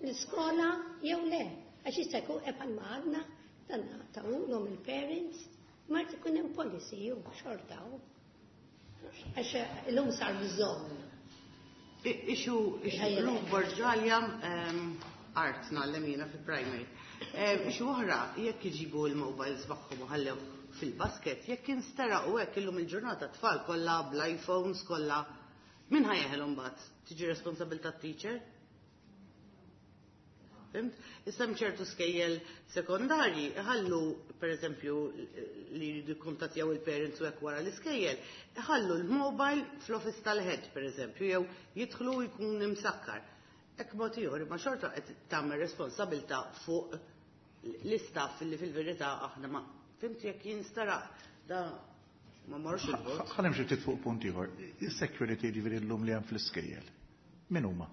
l-iskola jew le. Għax jista' jkun bħal ma għadna dan tawulhom il-parents, ma jrid ikun hemm policy jew xorta hu. Għax illum sar bżonn. Ixu, ixu, llum Borġalja, art ngħallem jiena fil-primary. Ixu oħra, jekk iġibu l-mobiles magħhom u ħallew fil-basket, jekk insteraq u hekk illum il-ġurnata tfal kollha bl-iPhones kollha, min ħajeħel imbagħad? Tiġi responsabilità t-teacher? Fimt? Issa hemm ċertu skejjel sekondarji iħallu, pereżempju, li jridu jikkuntattjaw il-parents u hekk wara l-iskejjel, iħallu l-mobile fl-office tal-head, pereżempju, jew jidħlu jkun imsakkar. Hekk mod ieħor, imma xorta qed tagħmel responsabilità fuq l-istaff li fil-verità aħna ma fhimt jekk jinsteraq da ma marrux il-bogħod. Ħa nimxi ftit fuq punt ieħor. Is-security ġifieri llum li hemm fl-iskejjel. Min huma?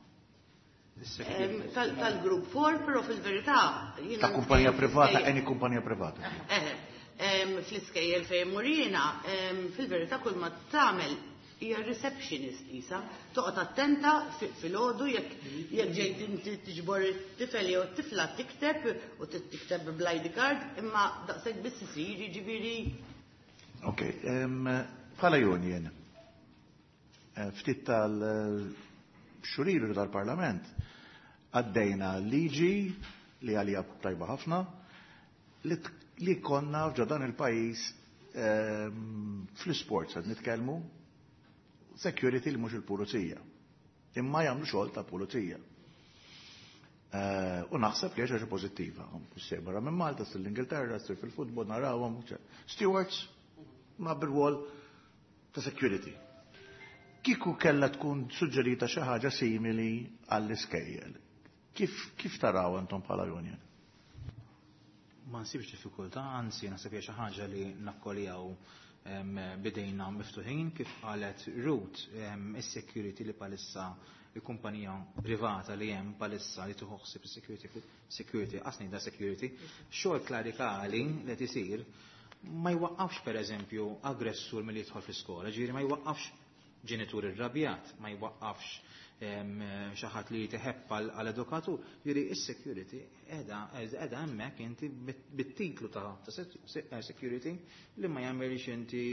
Em, tal- Tal-group four, però fil-verità jiena Ta' kumpanija privata, fl-iskejjel- any kumpanija privata. Eh, em, fl-iskejjel fejn murina, em, fil-verità kull ma tagħmel hija receptionist isa, toqgħod attenta fi- filgħodu jekk jekk ġejt inti tiġbor it-tifel jew t-tifla tikteb u tikteb bl-ID card, imma daqshekk biss isir jiġifieri Ok, em, bħala union, eh, ftit tal-xhur ilu tal-Parlament għaddejna liġi li għalija tajba ħafna li, t- li konna f'ġo dan il-pajjiż em, fl-sports għad nitkellmu security li mhux il-pulizija. Imma jagħmlu xogħol ta' pulizija. Eh, U naħseb li ħaġa pożittiva. Issir barra minn Malta, ssir l-Ingilterra, ssir fil-futbol, narawhom. Stewards, ma bir-rwol ta' security. Kieku kella tkun suġġerita xi ħaġa simili għall-iskejjel. Kif, kif taraw intom bħala union? Ma nsibx diffikultà, anzi naħseb hija xi ħaġa li nakkoljaw em, bidejna miftuħin kif qalet Ruth em, is-security li palissa il-kumpanija privata li hemm palissa li tieħu ħsieb is-security security qasni da security xogħol klerikali li qed isir ma jwaqqafx pereżempju aggressur milli jidħol fl-iskola, ġifieri ma jwaqqafx ġenitur irrabjat, ma jwaqqafx em, xi ħadd li jteħebb għal edukatur, ġifieri is-security qiegħda qiegħda hemmhekk inti bit- bit-titlu ta' ta' se- security li ma jagħmilx inti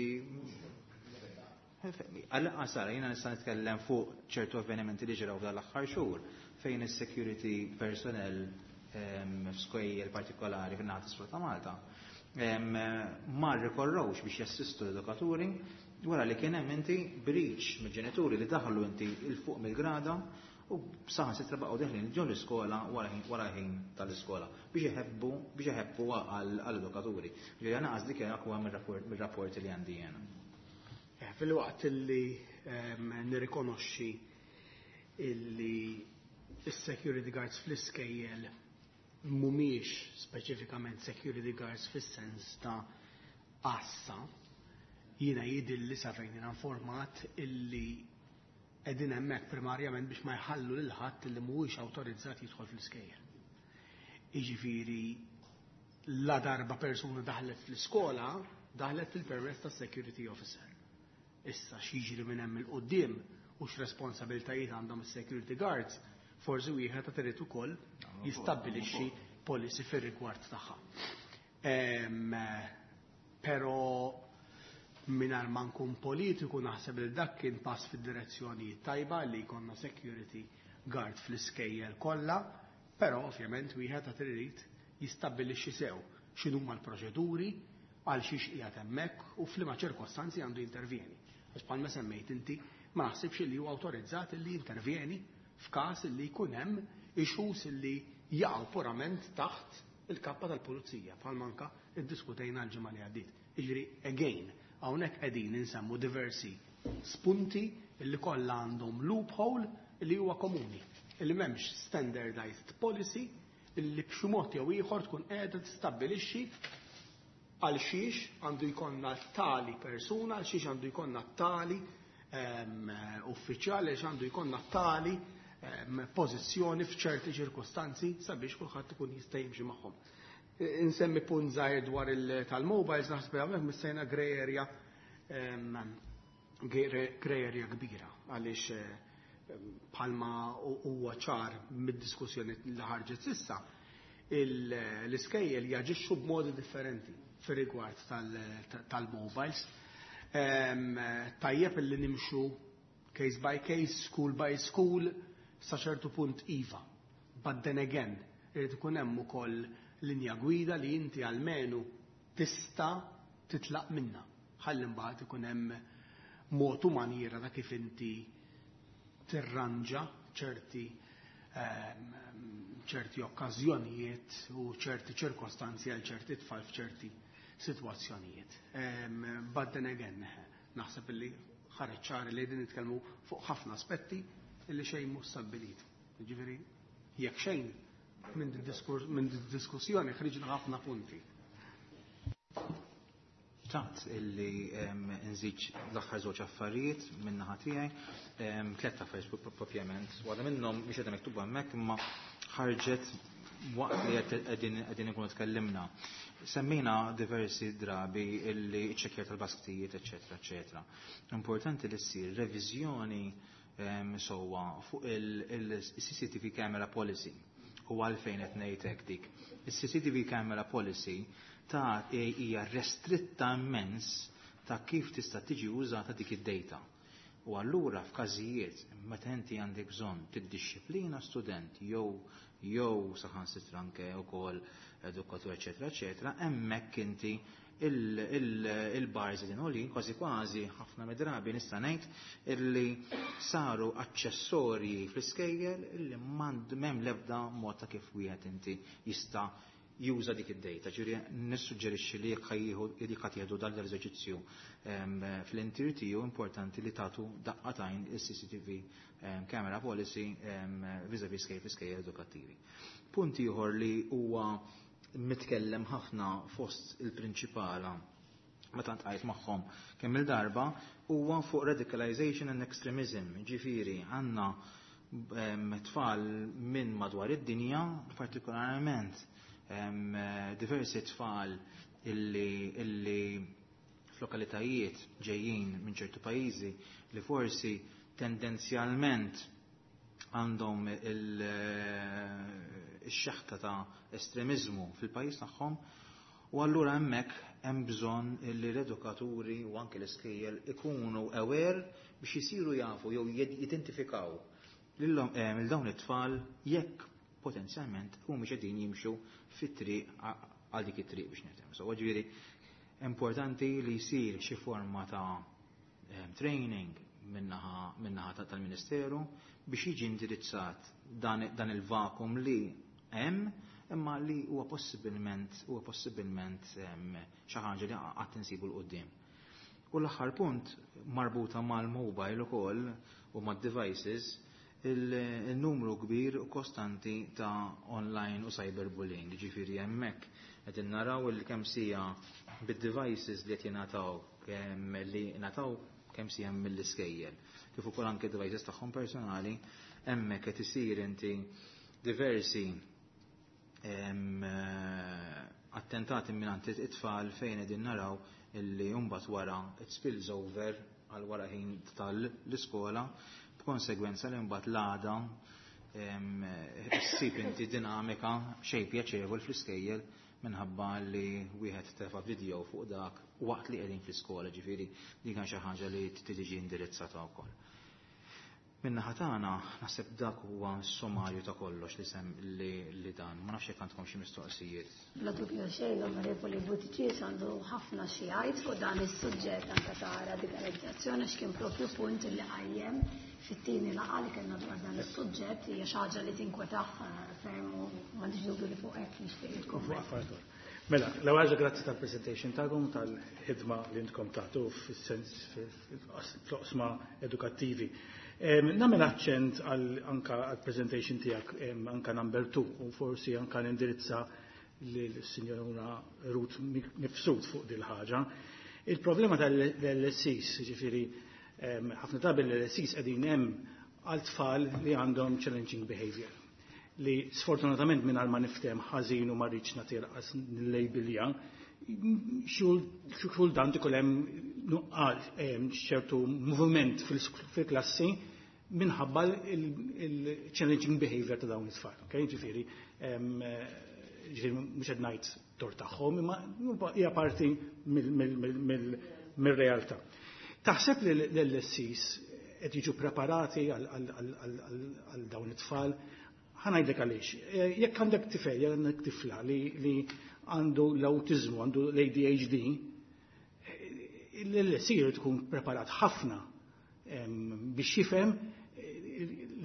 Għal Sara, jiena nista' nitkellem fuq ċertu avvenimenti li ġraw f'dan l-aħħar xhur fejn is-security personnel em, f'skejjel partikolari fin-naħa t'isfel ta' Malta em, ma rrikorrewx biex jassistu l-edukaturi wara li kien hemm inti breach mill-ġenituri li daħlu inti 'il fuq mill-grada u saħansitra baqgħu deħlin ġol l-iskola wara ħin- wara ħin tal-iskola biex iħebbu biex iħebbu għall-edukaturi. Ġifieri għana dik kien huwa mir-rapport li għandi jiena. Eh, Fil-waqt illi em, nirrikonoxxi illi is-security guards fl-iskejjel mhumiex speċifikament security guards fis-sens ta' għassa, jiena jidhirli sa fejn jiena informat illi qegħdin hemmhekk primarjament biex ma jħallu lil ħadd illi mhuwiex awtorizzat jidħol fl-iskejjel. Jiġifieri la darba persuna daħlet fl-iskola, daħlet fil-permess ta' security officer. Issa x'jiġri minn hemm 'il quddiem u x'responsabiltajiet għandhom is-security guards, forsi wieħed ta' irid ukoll jistabbilixxi policy fir-rigward tagħha. Em, Però mingħajr ma nkun politiku naħseb li dak kien pass fid-direzzjoni tajba li jkollna security guard fl-iskejjel kollha, però ovvjament wieħed ta' irid jistabbilixxi sew x'inhuma l-proċeduri għal xiex qiegħed hemmhekk u f'liema ċirkostanzi għandu jintervjeni. Għax bħalma semmejt inti ma naħsibx li huwa awtorizzat li jintervjeni f'każ li jkun hemm issues li jaqgħu purament taħt il-kappa tal-pulizija bħalma anka iddiskutejna l-ġimgħa li għaddiet. Jiġifieri again, hawnhekk qegħdin insemmu diversi spunti li kollha għandhom loophole li huwa komuni, illi m'hemmx standardized policy illi b'xi mod jew ieħor tkun qiegħda tistabbilixxi għal xiex għandu jkollna tali persuna, għal xiex għandu jkollna tali em, uffiċjali, għal xiex għandu jkollna tali em, pożizzjoni f'ċerti ċirkostanzi sabiex kulħadd ikun jista' jimxi magħhom. Insemmi punt żgħir dwar il- tal-mobiles, naħseb hawnhekk missejna grey area em, grey area kbira għaliex eh, bħalma huwa ċar mid-diskussjoni li ħarġet s'issa, il- l-iskejjel jaġixxu b'modi differenti fir-rigward tal-mobiles. Em, Tajjeb illi nimxu case by case, school by school, sa ċertu punt iva. But then again, irid ikun hemm ukoll linja gwida li inti almenu tista' titlaq minna. Ħalli mbagħad ikun hemm mod u maniera ta' kif inti tirranġa ċerti ehm, ċerti okkażjonijiet u ċerti ċirkostanzi għal ċerti tfal f'ċerti sitwazzjonijiet. Ehm, But then again, naħseb illi ħareġ ċar li qegħdin nitkellmu fuq ħafna aspetti illi xejn mhux stabbilit. Ġifieri jekk xejn minn minn diskussjoni ħriġna ħafna punti. Xtaqt illi nżid l-aħħar żewġ affarijiet minn naħa tiegħi, tliet affarijiet propjament. Waħda minnhom mhix qiegħda miktuba hemmhekk imma ħarġet waqt li qegħdin ikunu tkellimna. Semmejna diversi drabi illi ċċekkjar tal-basktijiet, eċetera, eċetera. Importanti li ssir reviżjoni sewwa fuq il-C C T V camera policy u għalfejn qed ngħid hekk dik. Il-C C T V camera policy ta' hija restritta immens ta' kif tista' tiġi użata dik id-data. U allura f'każijiet meta inti għandek bżonn tiddixxiplina student jew jew saħansitra anke wkoll edukatur, eċetera, eċetera, hemmhekk inti il-bars din għolin kważi kważi ħafna mid-drabi nista' ngħid illi saru aċċessorji fl-iskejjel illi m'hemm l-ebda mod ta' kif wieħed inti jista' juża dik id-data. Ġifieri nissuġġerixxi li jekk jekk ħa tieħdu dan l-eżerċizzju fl-intir tiegħu, importanti li tagħtu daqqa t'għajn il-C C T V camera policy vis-a-vis skejjel skejjel edukattivi. Punt ieħor li huwa mitkellem ħafna fost il-prinċipala meta ltqajt magħhom kemm il-darba huwa fuq radicalization and extremism. Ġifieri għandna tfal minn madwar id-dinja, partikolarment diversi tfal illi, illi f'lokalitajiet ġejjin minn ċertu pajjiżi li forsi tendenzjalment għandhom il-xeħta ta' estremizmu fil-pajjiż tagħhom, u allura hemmhekk hemm bżonn li l-edukaturi u anke l-iskejjel ikunu aware biex jisiru jafu jew jidentifikaw lil dawn it-tfal jekk potenzjalment humiex qegħdin jimxu fit-triq għal dik it-triq biex nifhem. So ġifieri importanti li jsir xi forma ta' training min-naħa tal-Ministeru biex jiġi indirizzat dan, dan il-vakum li hemm imma li huwa possibilment huwa possibilment xi ħaġa li qatt insibu 'l quddiem. U l-aħħar punt marbuta mal-mobile ukoll u mad-devices, il-numru kbir u kostanti ta' online u cyberbullying. Ġifieri hemmhekk qed naraw il kemm sija bid-devices li qed jingħataw, kemm li ngħataw, kemm sija mill-iskejjel. Kif ukoll anke devices tagħhom personali, hemmhekk qed isir inti diversi attentati minn it-tfal fejn qegħdin naraw illi mbagħad wara it spills over għal wara ħin tal-iskola, b'konsegwenza li mbagħad l-għada ssib inti dinamika xejn pjaċevol fl-iskejjel minħabba li wieħed tefa' video fuq dak waqt li qegħdin fl-iskola. Ġifieri din kan xi ħaġa li tiġi indirizzata wkoll. Min-naħa tagħna naħseb dak huwa sommarju ta' kollox li sem li, li dan. Ma nafx jekk għandkom xi mistoqsijiet. Bla dubju xejn, l-Onorevoli Buttigieg għandu ħafna xi jgħid fuq dan is-suġġett anke ta' radikalizzazzjoni, x'kien propju punt li qajjem fit-tieni laqgħa li kellna dwar dan is-suġġett. Hija xi ħaġa li tinkwetah ferm u m'għandix dubju li fuq hekk nixtieq jikkumment. Mela, l-ewwel grazzi tal-presentation tagħkom, tal-ħidma li intkom tagħtu fis-sens fl-oqsma edukattivi. Nagħmel aċċent anka għal-presentation tiegħek, anka number two, u forsi anka nindirizza lill-Sinjora Ruth Mifsud fuq dil ħaġa. Il-problema tal-L S Es, ġifieri, ħafna drabi l-L S Es qegħdin hemm għal tfal li għandhom challenging behavior li sfortunatament, minn ma niftem ħażin u ma rridx nagħti nillabelja, xi kultant ikun hemm nuqqas ċertu moviment fil-klassi minħabba il-challenging behavior ta' dawn it-tfal. Okay? Ġifieri, ġifieri mhux qed ngħid tort tagħhom, imma hija parti mill-realtà. Taħseb li l-L S Es qed jiġu preparati għal dawn it-tfal? Ħa ngħidlek għaliex. Jekk għandek tifel, jekk għandek tifla li għandu l-autizmu, għandu l-A D H D, l-L S E tkun preparat ħafna biex jifhem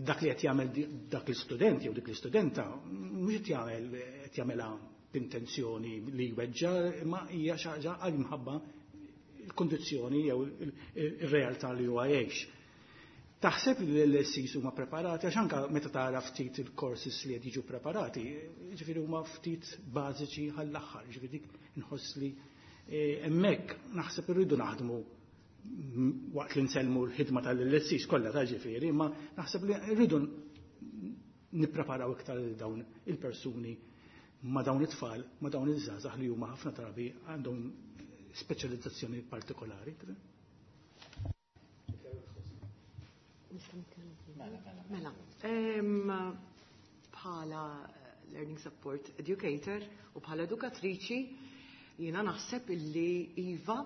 dak li qed jagħmel dak l-istudent jew dik l-istudenta, mhux qed jagħmel qed jagħmelha b'intenzjoni li jweġġa, imma hija xi ħaġa għal minħabba il-kondizzjoni jew ir-realtà li huwa jgħix. Taħseb li l-L S Cs huma preparati, għax anka meta tara ftit il-courses li qed jiġu preparati, ġifieri huma ftit bażiċi għall-aħħar, ġifieri dik inħoss li eh, hemmhekk naħseb irridu naħdmu waqt li nsellmu l-ħidma tal-L S Cs kollha ta' ġifieri, imma naħseb li rridu nippreparaw iktar dawn il-persuni ma' dawn it-tfal, ma' dawn iż-żgħażagħ li huma ħafna drabi għandhom speċjalizzazzjoni partikolari. Mela, bħala learning support educator u bħala edukatriċi, jiena naħseb illi iva,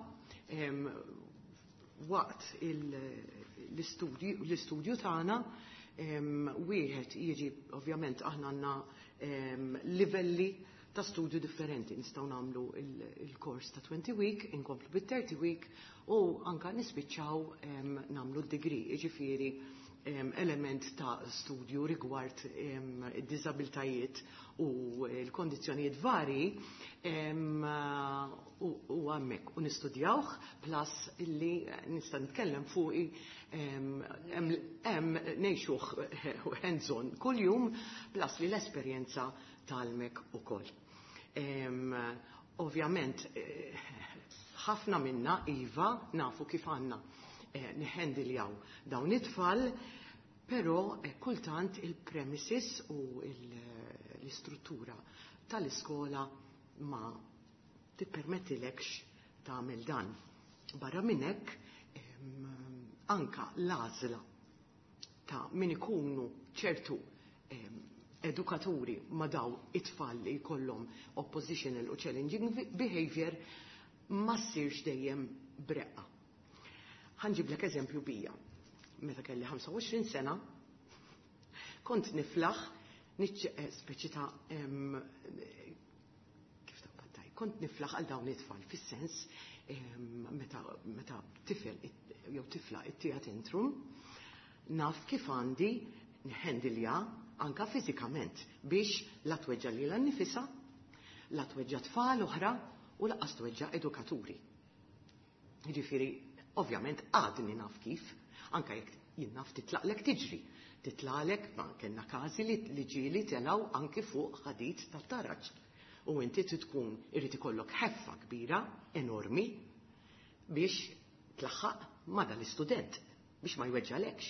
waqt l-istudju tagħna wieħed jiġi, ovvjament aħna għandna livelli ta' studju differenti. Nistgħu nagħmlu il-kors ta' twenty week, inkomplu bit-thirty week u anka nispiċċaw nagħmlu d-degree, jiġifieri element ta' studju rigward id-diżabiltajiet u l-kondizzjonijiet vari u hemmhekk u nistudjawh, plus illi nista' nitkellem fuqi, hemm ngħixuh hands-on kuljum, plus li l-esperjenza tgħallmek ukoll. Ovvjament, eh, ħafna minna iva nafu kif għandna eh, nihandiljaw dawn it-tfal, però eh, kultant il-premises u l-istruttura tal-iskola ma tippermettilekx tagħmel dan. Barra minn hekk, anka l-għażla ta' min ikunu ċertu edukaturi ma' daw it-tfal li jkollhom oppositional u challenging behavior ma ssirx dejjem breqqa. Ħa nġiblek eżempju bija. Meta kelli ħamsa u għoxrin sena, kont niflaħ, eh, speċi ta' kif ta' kont niflaħ għal dawn it-tfal, fis-sens meta, meta tifel jew tifla ittiha tantrum, naf kif għandi nhandilja anka fiżikament biex la tweġġa lilha nnifisha, la tweġġa tfal oħra u lanqas tweġġa edukaturi. Jiġifieri, ovvjament għadni naf kif, anka jekk jien naf titlaqlek tiġri. Titlaqlek, ma kellna każi li, li ġieli telgħu anki fuq ħadid tat-taraġ. U inti tkun irid ikollok ħeffa kbira, enormi, biex tlaħħaq ma dal-istudent, biex ma jweġġalekx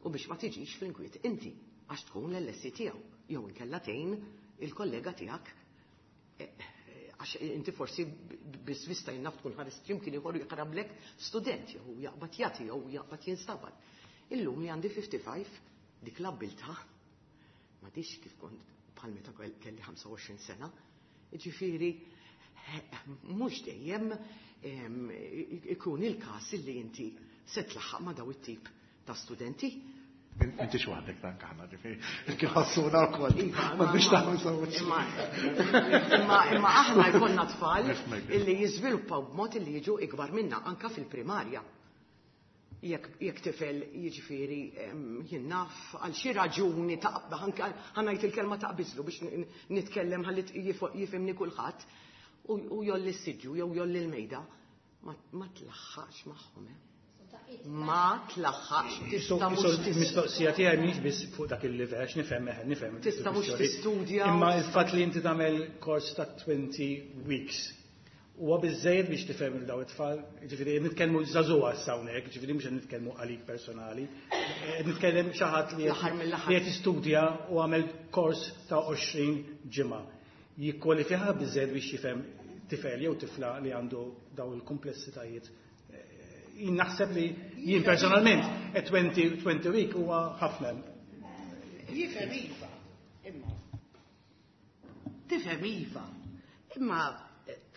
u biex ma tiġix fl-inkwiet inti, għax tkun l-L S C tiegħu, jew inkella tgħin il-kollega tiegħek, eh, għax inti forsi biss vista jinnaf tkun ħares kien ieħor jaqrablek student jew jaqbad jagħti jew jaqbad jinstabat. Illum li għandi ħamsa u ħamsin, dik l-abbiltà m'għadix kif kont bħal meta kelli ħamsa u għoxrin sena. Ġifieri, mhux dejjem ikun il-każ li inti se tlaħħaq ma' daw it-tip ta' studenti. Inti xwaħdek dan kaħna, ġifieri, kif ħassuna wkoll. Iva, Ma biex taħmu Imma imma imma aħna jkollna tfal illi jiżviluppaw b'mod illi jiġu ikbar minna anka fil-primarja. Jekk jekk tifel, jiġifieri, jien naf għal xi raġuni ta' anke ħa ngħid il-kelma taqbiżlu biex nitkellem ħalli jifhimni kulħadd u jgħolli s-siġġu jew jgħolli l-mejda, ma tlaħħaqx magħhom. Eh? Ma tlaħħaqx, tista' mhux. Il-mistoqsija tiegħi mhix biss fuq dak il-livell, għax nifhem eħe, nifhem. Tista' mhux tistudja. Imma il-fatt li inti tagħmel kors ta' twenty weeks huwa biżejjed biex tifhem il daw it-tfal, ġifieri nitkellmu żagħżugħa issa hawnhekk, ġifieri mhux qed nitkellmu għalik personali. Qed nitkellem xi ħadd li qed jistudja u għamel kors ta' għoxrin ġimgħa. Jikkwalifika biżejjed biex jifhem tifel jew tifla li għandu daw il-komplessitajiet? Jien naħseb li jien personalment twenty twenty week huwa ħafna. Jifhem iva, imma. Tifhem iva. Imma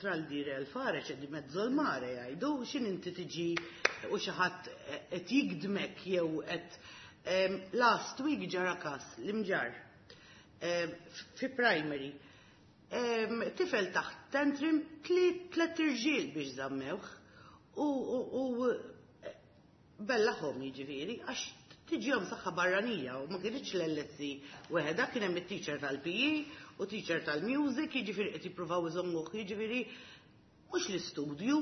tra l-dire e il fare c'è di mezzo al mare, jgħidu, xin inti tiġi u xi ħadd qed jigdmek jew qed. Last week ġara kas l-Imġarr fi primary. Tifel taħt tantrum, tliet irġiel biex żammewh u bellahom, jiġifieri, għax tiġihom saħħa barranija u ma kienx l-L S C weħeda, kien hemm it-teacher tal-P E u teacher tal-music, jiġifieri qed jippruvaw iżommuh, jiġifieri mhux l-istudju,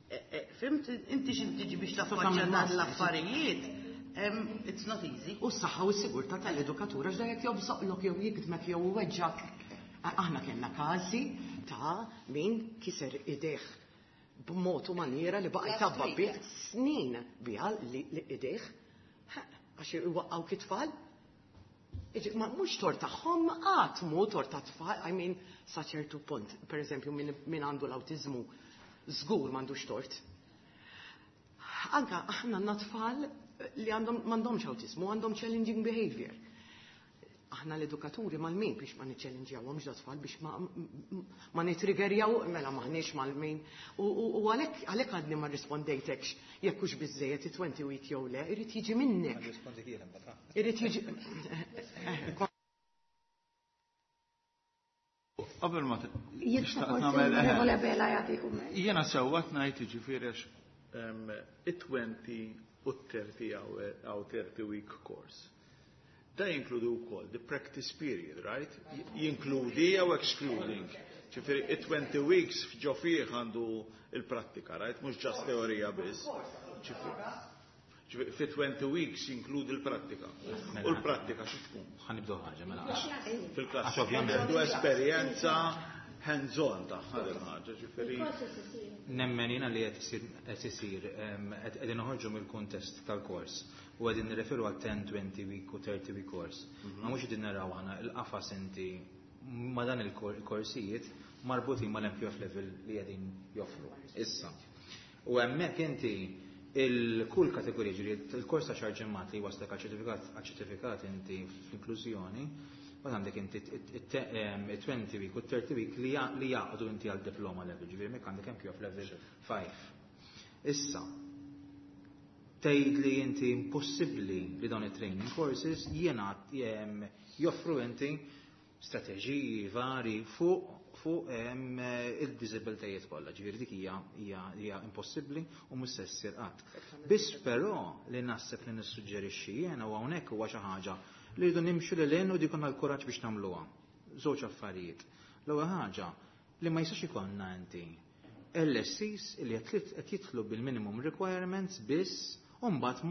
e, e, fhimt, inti x'in tiġi biex taffaċċja dan l-affarijiet. It's not easy. U s-saħħa u s-sigurtà tal-edukatura x'da jekk jobżoqlok jew jikdmek jew weġġak. Aħna kellna każi ta' min kiser idejh b'mod u maniera li baqa' jtabba bih snin biha li idejh għax iwaqqgħu it-tfal. Ma mhux tort tagħhom qatt mhu tort ta' tfal, I mean sa ċertu punt, per eżempju min għandu l-awtiżmu żgur m'għandux tort. Anka aħna għandna tfal li għandhom m'għandhomx awtiżmu, għandhom challenging behavior. Aħna l-edukaturi mal-min biex ma niċċellinġjawhomx da tfal biex ma, ma nitriggerjaw mela maħniex mal-min. U għalhekk għalhekk għadni ma rrispondejtekx jekk hux biżejjed it-twenty week jew le, irid jiġi minnek. Irid jiġi. Qabel ma nagħmel jiena sewwa ngħid jiġifieri għax it-twenty u thirty hour thirty week course. Da jinkludu wkoll the practice period, right? Jinkludi jew excluding. Ġifieri it-twenty weeks ġo fih għandu il-prattika, right? Mhux ġast teorija biss. Ġifieri fi twenty weeks jinkludi l-prattika. U l-prattika xi tkun? Ħa nibdew ħaġa mela. Fil-klassi. Għax ovvjament. Għandu esperjenza hands-on tagħha din ħaġa, ġifieri. Nemmen jiena li qed isir qegħdin noħorġu mill-kuntest tal-kors u qegħdin nirreferu għal ten, twenty week u thirty week course. Ma mhux qegħdin naraw aħna il-qafas inti ma dan il-korsijiet marbutin mal-M Q F level li qegħdin joffru issa. U hemmhekk inti il-kull kategorija, ġifieri il-kors ta' xahar ġimgħat li waslek għal ċertifikat, għal ċertifikat inti fl-inklużjoni, u għandek inti it-twenty week u thirty week li jaqdu inti għal diploma level, ġifieri hemmhekk għandek M Q F level five. Issa, tgħid li inti impossibbli li dawn it-training courses jiena joffru inti strateġiji vari fuq fuq il-diżibiltajiet kollha, ġifieri dik hija hija impossibbli u mhux se ssir qatt. Biss però li naħseb li nissuġġerixxi jiena u hawnhekk huwa xi ħaġa li rridu nimxu lil hinn u dik ikollna l-kuraġġ biex nagħmluha. Żewġ affarijiet. L-ewwel ħaġa li ma jistax ikollna inti L S Cs li qed jitlu bil-minimum requirements biss u mbagħad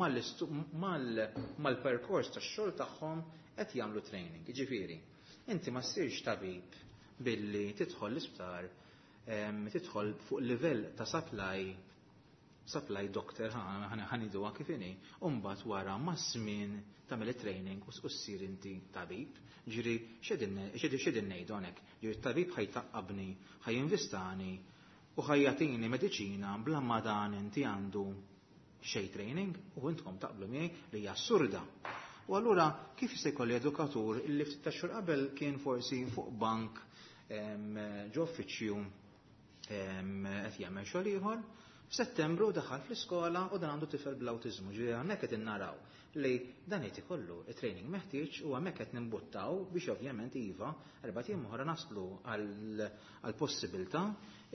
mal-perkors tax-xogħol tagħhom qed jagħmlu training. Jiġifieri, inti ma ssirx tabib billi tidħol l-isptar, tidħol fuq livell ta' supply, supply doctor, ħaniduha kif inhi, u mbagħad wara maż-żmien tagħmel it-training u ssir inti tabib. Ġifieri x'qegħdin ngħidu hawnhekk? Ġifieri t-tabib ħajtaqqabni, ħajinvistani u ħajjatini mediċina bla ma dan inti għandu xejn training u intkom taqblu miegħi li hija assurda. U allura kif se jkolli edukatur illi ftit ta' xhur qabel kien forsi fuq bank ġo uffiċċju qed jagħmel xogħol ieħor, f'Settembru daħal fl-iskola u dan għandu tifel bl-awtiżmu. Ġifieri hawnhekk qed innaraw li dan qed ikollu it-training meħtieġ u hemmhekk qed nimbuttaw biex ovvjament iva erba' ijiem oħra naslu għall-possibilità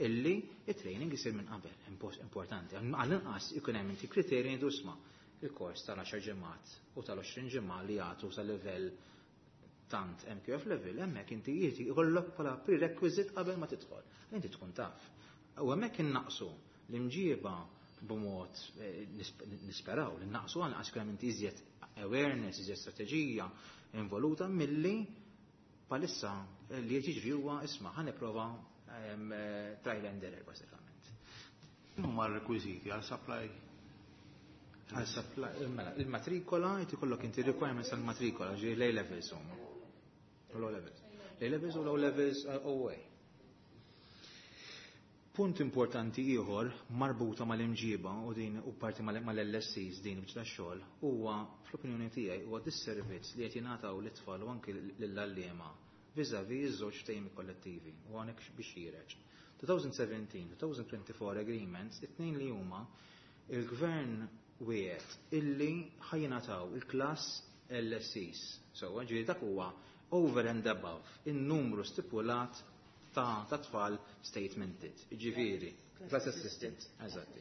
illi it-training isir minn qabel. Importanti. Għall-inqas ikun hemm inti kriterji ngħidu isma' il-kors tal-għaxar ġimgħat u tal-għoxrin ġimgħa li jagħtu sa livell tant M Q F level, hemmhekk inti jiġi jkollok bħala prerequisite qabel ma tidħol. Inti tkun taf. U hemmhekk innaqsu l-imġieba b'mod nisperaw li naqsu għal għax kemm inti iżjed awareness, iżjed strateġija involuta milli palissa li jiġri huwa isma' ħa nipprova trial and error bażikament. Huma r-rekwiżiti għal supply? Għal supply, mela, il-matrikola, inti kollok inti requirements għal matrikola, ġifieri l-A levels huma. Low levels. A levels u low levels O A. Punt importanti ieħor marbuta mal-imġiba u din u parti mal-L S Cs din biex tax-xogħol huwa fl-opinjoni tiegħi huwa disservizz li qed jingħataw lit-tfal u anke lill-għalliema vis-à-vis iż-żewġ ftehim kollettivi u hawnhekk biex jireġ. twenty seventeen, twenty twenty-four agreements, it-tnejn li huma il-gvern wiegħed illi ħajjingħataw il-klass L S Cs. So, ġifieri dak huwa over and above in-numru stipulat ta' ta' tfal statemented. Ġifieri, class assistant, eżatti.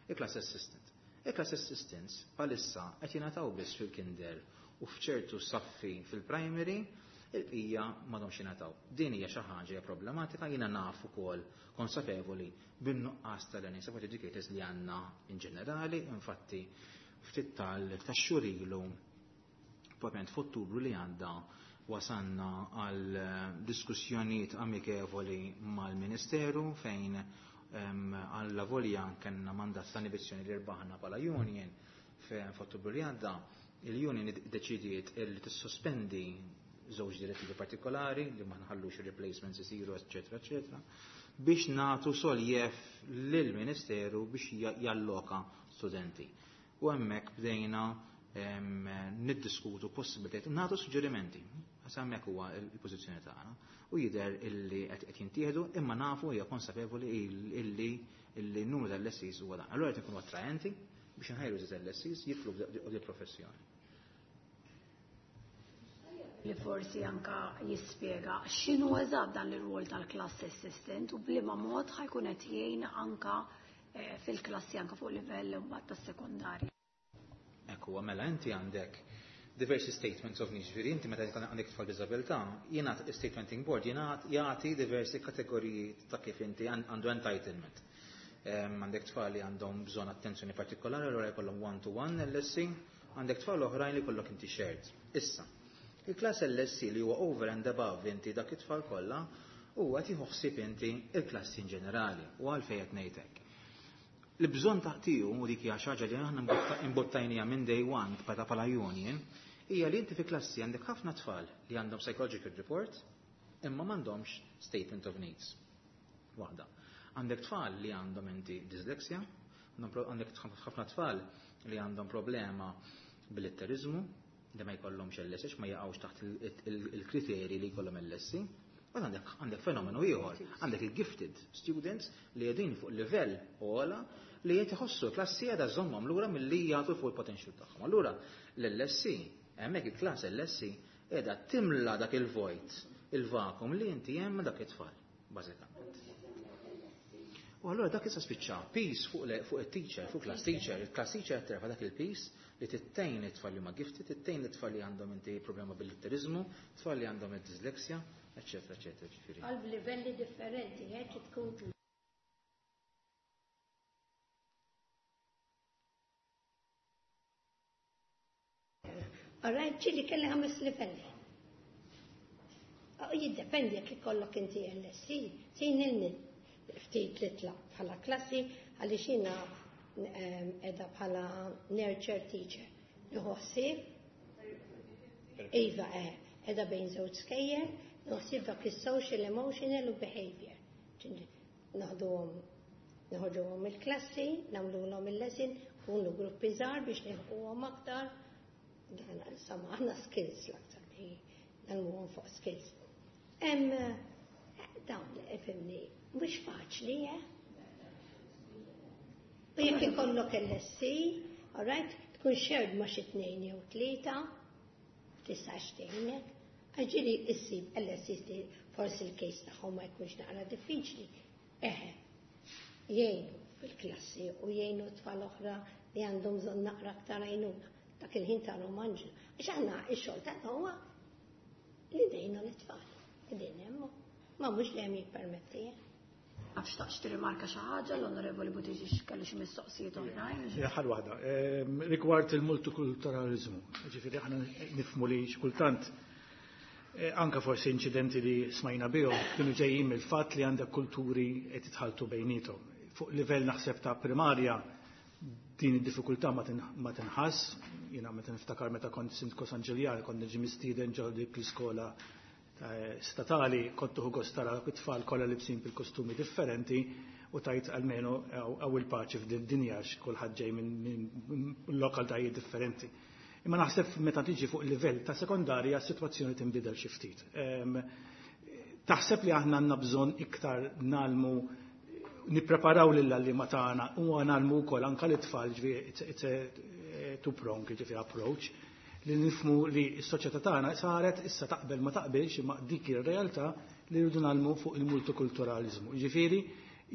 Il-class assistant. Il-class assistants bħalissa qed jingħataw biss fil-kinder u f'ċertu saffi fil-primary, il-bqija m'għadhomx jingħataw. Din hija xi ħaġa hija problematika, jiena naf ukoll konsapevoli bin-nuqqas ta' learning support educators li għandna in ġenerali, infatti Ftit tal-xhur ilu, propjament f'Ottubru li għadda, wasanna għal diskussjonijiet amikevoli mal-Ministeru fejn għalla volja kellna mandat ta' inibizzjoni li rbaħna bħala union f'Ottubru li għadda, il-union iddeċidiet li tissospendi żewġ direttivi partikolari li ma nħallux replacements isiru, eċetera, eċetera, biex nagħtu soljef lill-Ministeru biex jalloka studenti. U hemmhekk bdejna niddiskutu possibilitajiet, nagħtu suġġerimenti. Għax hemmhekk huwa l-pożizzjoni tagħna. U jidher illi qed jintieħdu, imma nafu hija konsapevoli illi illi n-numru tal-L S Es huwa dan. Allura qed inkunu attraenti biex nħajru l-L S Es jidħlu f'di professjoni. Li forsi anka jispjega x'inhu eżatt dan ir-rwol tal-class assistant u b'liema mod ħa jkun qed jgħin anka eh, fil-klassi, anka fuq livell mbagħad tas-sekondarja. Ekku, mela inti għandek diversi statements of needs. Ġifieri inti meta għandek tfal b'diżabilità, jingħat statementing board jingħat jagħti diversi kategoriji ta' kif inti għandu entitlement. Għandek tfal li għandhom bżonn attenzjoni partikolari, allura jkollhom one-to-one L S E, għandek tfal oħrajn li jkollok inti shared. Issa, il-class L S E li huwa over and above inti dak it-tfal kollha huwa tieħu ħsieb inti il-klassi in ġenerali, u għalfejn qed ngħidlek. L-bżonn taħtiju, u dik hija xi ħaġa li aħna imbottajnija minn day one bħala bħala union, hija li inti fi klassi għandek ħafna tfal li għandhom psychological report imma m'għandhomx statement of needs. Waħda. Għandek tfal li għandhom inti dyslexia, għandek ħafna tfal li għandhom problema bil-litterizmu, li ma jkollhomx L S E, ma jaqgħux taħt il-kriteri li jkollhom L S E. U għandek għandek fenomenu ieħor, għandek il-gifted students li qegħdin fuq livell ogħla li qed iħossu klassi qiegħda żommhom lura milli jagħtu fuq il-potential tagħhom. Allura l-L S E, hemmhekk il-class L S E qiegħda timla dak il-void, il-vacuum li inti hemm dak it-tfal, bażikament. U allura dak issa spiċċa piż fuq fuq it-teacher, fuq class teacher, il-class teacher terfa' dak il-piż li tittejn it-tfal li huma gifted, tittejn it-tfal li għandhom inti problema bil-litterizmu, tfal li għandhom id-dyslexia, eċetera, eċetera, ġifieri. Għal livelli differenti, hekk tkun. Alright, ġieli kelli ħames livelli. U jiddependi jekk ikollok inti L S E, sin il ftit li tlaq bħala klassi, għaliex jiena qiegħda bħala nurture teacher. Nieħu ħsieb, iva, eh, qiegħda bejn żewġ skejjel, nieħu ħsieb dak is-social, emotional u behavior. Naħduhom, noħorġuhom il-klassi, nagħmluhom il-lesson, kunu gruppi żgħar biex nilħquhom aktar. Dan insomma aħna skills l-aktar li nagħmluhom fuq skills. Hemm dawn, ifhimni, mhux faċli, eh? U jekk ikollok L S E, alright, tkun shared ma' xi tnejn jew tlieta, tistax tgħinek. Ġieli issib L S E li forsi l-case tagħhom ma jkunx naqra diffiċli. Eħe, jgħinu fil-klassi u jgħinu tfal oħra li għandhom bżonn naqra aktar għajnuna. Dak il-ħin tagħhom anġlu. Għax aħna x-xogħol tagħna huwa li ngħinu l-tfal. Qegħdin hemm. Ma mhux dejjem jippermetti. Għax taqx tirrimarka xi ħaġa, l-Onorevoli Buttigieg kellu xi mistoqsijiet oħrajn. Ħal waħda. Ehm, rigward il-multikulturalizmu, ġifieri aħna nifhmu li xi kultant eh, anka forsi inċidenti li smajna bihom kienu ġejjin mill-fatt li għandek kulturi qed jitħaltu bejniethom. Fuq livell naħseb ta' primarja din id-diffikultà ma tinħass, jiena meta niftakar meta kont sindku San Ġiljan, kont niġi mistieden ġo dik l-iskola statali, kont tieħu gost tara it-tfal kollha libsin bil-kostumi differenti u tajt almenu hawn il-paċi f'din dinja, kulħadd ġej minn lokalitajiet differenti. Imma naħseb meta tiġi fuq livell ta' sekondarja s-sitwazzjoni tinbidel xi ftit. Taħseb li aħna għandna bżonn iktar ngħallmu, nippreparaw lil tagħna u ngħallmu wkoll anke l-itfal, ġifieri it's a two prong, ġifieri approach, li nifhmu li s-soċjetà tagħna saret issa, taqbel ma taqbilx, imma dik ir-realtà li rridu ngħallmu fuq il-multikulturalizmu. Ġifieri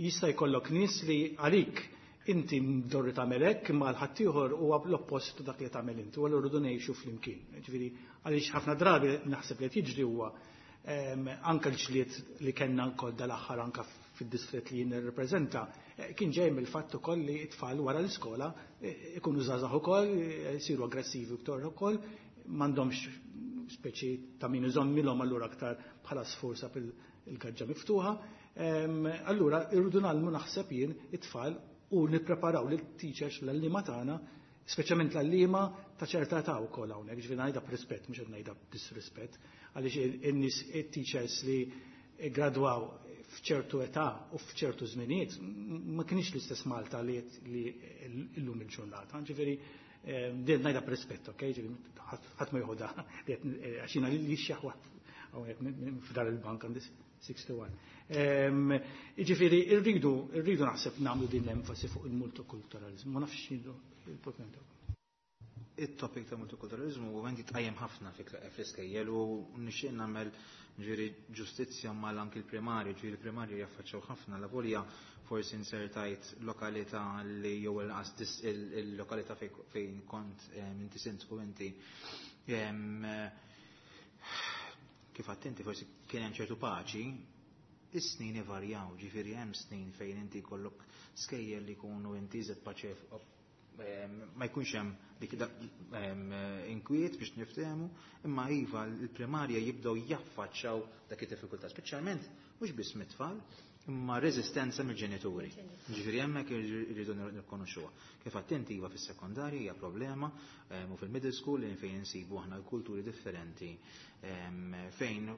jista' jkollok nies li għalik inti mdorri tagħmel hekk, imma l-ħaddieħor huwa l-oppost dak li tagħmel inti, u allura rridu ngħixu flimkien. Ġifieri għaliex ħafna drabi naħseb li qed jiġri huwa anke l-ġlied li kellna wkoll dal-aħħar anke fid-distret li jien nirrepreżenta kien ġej mill-fatt ukoll li t-tfal wara l-iskola ikunu żgħażagħ ukoll, jsiru aggressivi iktar ukoll, m'għandhomx speċi ta' min iżommilhom allura aktar bħala sforza fil-gaġġa miftuħa. Allura irridu nagħmlu naħseb jien it-tfal u nippreparaw lit-teachers l-għalliema tagħna, speċjalment l-għalliema ta' ċerta età wkoll hawnhekk, ġifieri ngħidha b'rispett mhux qed ngħidha b'disrispett, għaliex in-nies it-teachers li gradwaw f'ċertu età u f'ċertu żminijiet ma kienx l-istess Malta li llum il-ġurnata. Ġifieri din ngħidha b'rispett, ok? Ħadd ma joħodha għax jiena li xjaħwa hawnhekk f'dar il-bank għandi sixty one. Ġifieri rridu rridu naħseb nagħmlu din l-enfasi fuq il-multikulturalizmu, ma nafx x'inhu il-punt. It-topic ta' multikulturalizmu huwa jitqajjem ħafna fl-iskejjel u nixtieq nagħmel ġifieri ġustizzja mal anki l-primarju, ġifieri l-primarju jaffaċċjaw ħafna la volja forsi insertajt lokalità li jew inqas il-lokalità fejn kont inti sindku inti kif attenti forsi kien hemm ċertu paċi, is-snin ivarjaw, ġifieri hemm snin fejn inti jkollok skejjel li jkunu inti iżed paċef ma jkunx hemm dik inkwiet biex niftehmu, imma iva l-primarja jibdew jaffaċċaw dak id-diffikultà, speċjalment mhux biss mit-tfal, imma reżistenza mill-ġenituri. Ġifieri hemmhekk irridu nirkonoxxuha. Kif attenti iva fis-sekondarja hija problema u fil-middle school fejn insibu aħna l-kulturi differenti fejn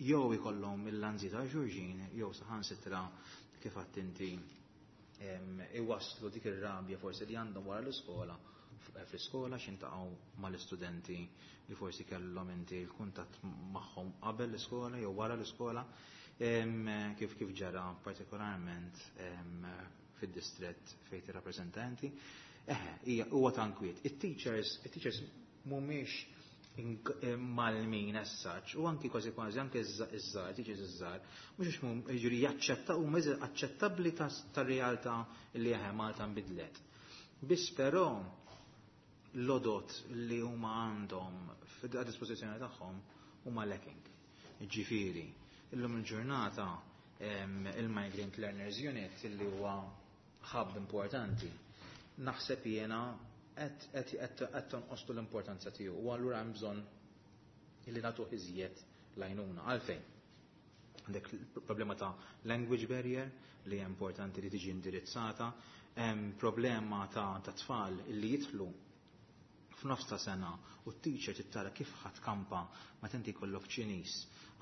jew ikollhom il-lanzi ta' xulxin jew saħansitra kif attenti iwasslu dik ir-rabja forsi li għandhom wara l-iskola fl-iskola x'intaqgħu mal-istudenti li forsi kellhom inti l-kuntatt magħhom qabel l-iskola jew wara l-iskola, kif kif ġara partikolarment fid-distrett fejn tirrappreżentanti. Eħe, hija huwa tankwiet. It-teachers, it-teachers mhumiex mal-min as-saċ u anki kważi kważi anke iż-żgħar, teachers iż-żgħar, mhux mhum jiġri jaċċetta huma aċċettabbli tar-realtà li eħe Malta nbidlet. Biss però l-odot li huma għandhom għad dispożizzjoni tagħhom huma lacking. Ġifieri, illum il-ġurnata il-Migrant Learners Unit li huwa hub importanti, naħseb jiena qed tonqostu l-importanza tiegħu u allura hemm bżonn illi nagħtuh iżjed l-għajnuna. Għalfejn? Għandek problema ta' language barrier li hija importanti li tiġi indirizzata, hemm problema ta' tfal li jidħlu f'nofs ta' sena u t-teacher tittara kif ħadd kampa ma tinti jkollok Ċiniż,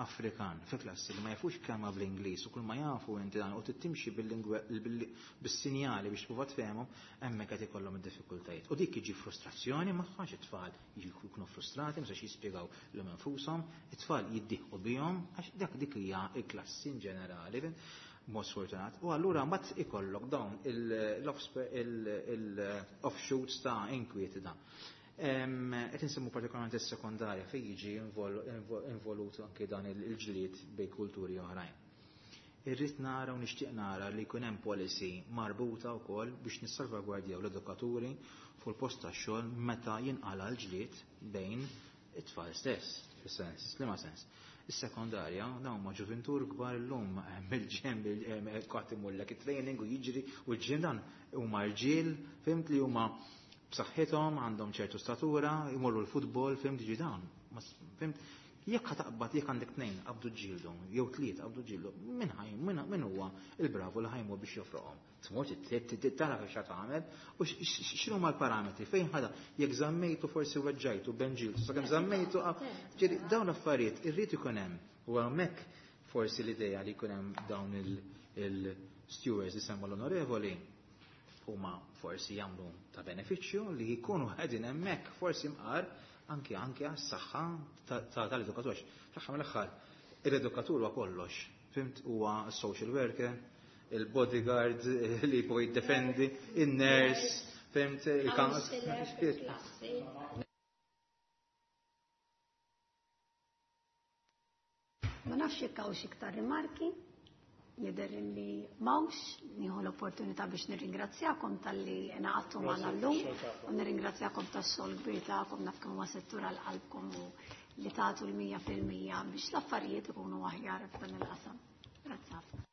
Afrikan, fi klassi li ma jafux kelma bl-Ingliż u kull ma jafu inti dan u tittimxi bis-sinjali biex tprova tfehmhom, hemmhekk qed ikollhom id-diffikultajiet. U dik jiġi frustrazzjoni magħha xi tfal jkunu frustrati, ma sax jispjegaw lilhom infushom, it-tfal jiddieħqu bihom għax dak dik hija l-klassi in ġenerali mod sfortunat. U allura mbagħad ikollok dawn il-offshoots ta' inkwiet da. Qed insemmu partikolarment is-sekondarja fejn jiġi involut anke dan il-ġlied bejn kulturi oħrajn. Irrid nara u nixtieq nara li jkun hemm policy marbuta wkoll biex nissalvagwardjaw l-edukaturi fuq il-post tax-xogħol meta jinqala l-ġlied bejn it-tfal stess, fis-sens, liema sens. Is-sekondarja dawn ma ġuventur kbar illum mill-ġem qatt imullek it-training u jiġri u l-ġim dan huma rġiel, fimt li huma b'saħħithom, għandhom ċertu statura, jmorru l-futbol, fimt ġi dawn. Fimt, jekk ħataqbad jekk għandek tnejn qabdu ġildu, jew tliet qabdu ġildu, min ħaj, min huwa il-bravu li ħajmur biex jofroqhom. Tmur tara kif tagħmel u x'inhu l-parametri fejn ħada jekk żammejtu forsi weġġajtu benġiltu, sakemm żammejtu ġieli dawn l-affarijiet irrid ikun hemm. U hemmhekk forsi l-idea li jkun hemm dawn il-stewards li semma l-onorevoli huma forsi jagħmlu ta' benefiċċju li jkunu qegħdin hemmhekk forsi mqar anke anke għas-saħħa tal-edukatur. Fl-aħħar mill-aħħar l-edukatur huwa kollox. Fimt huwa social worker, il-bodyguard li jibgħu jiddefendi, in-nurse, fimt il-counselor. Ma nafx jekk hawnx iktar rimarki. Jidher li mawx, nieħu l-opportunità biex nirringrazzjakom talli ngħaqadtu magħna llum u nirringrazzjakom tax-xogħol kbir tagħkom, naf kemm huwa settur għal qalbkom u li tagħtu l-mija fil-mija biex l-affarijiet ikunu aħjar f'dan il-qasam. Grazzi ħafna.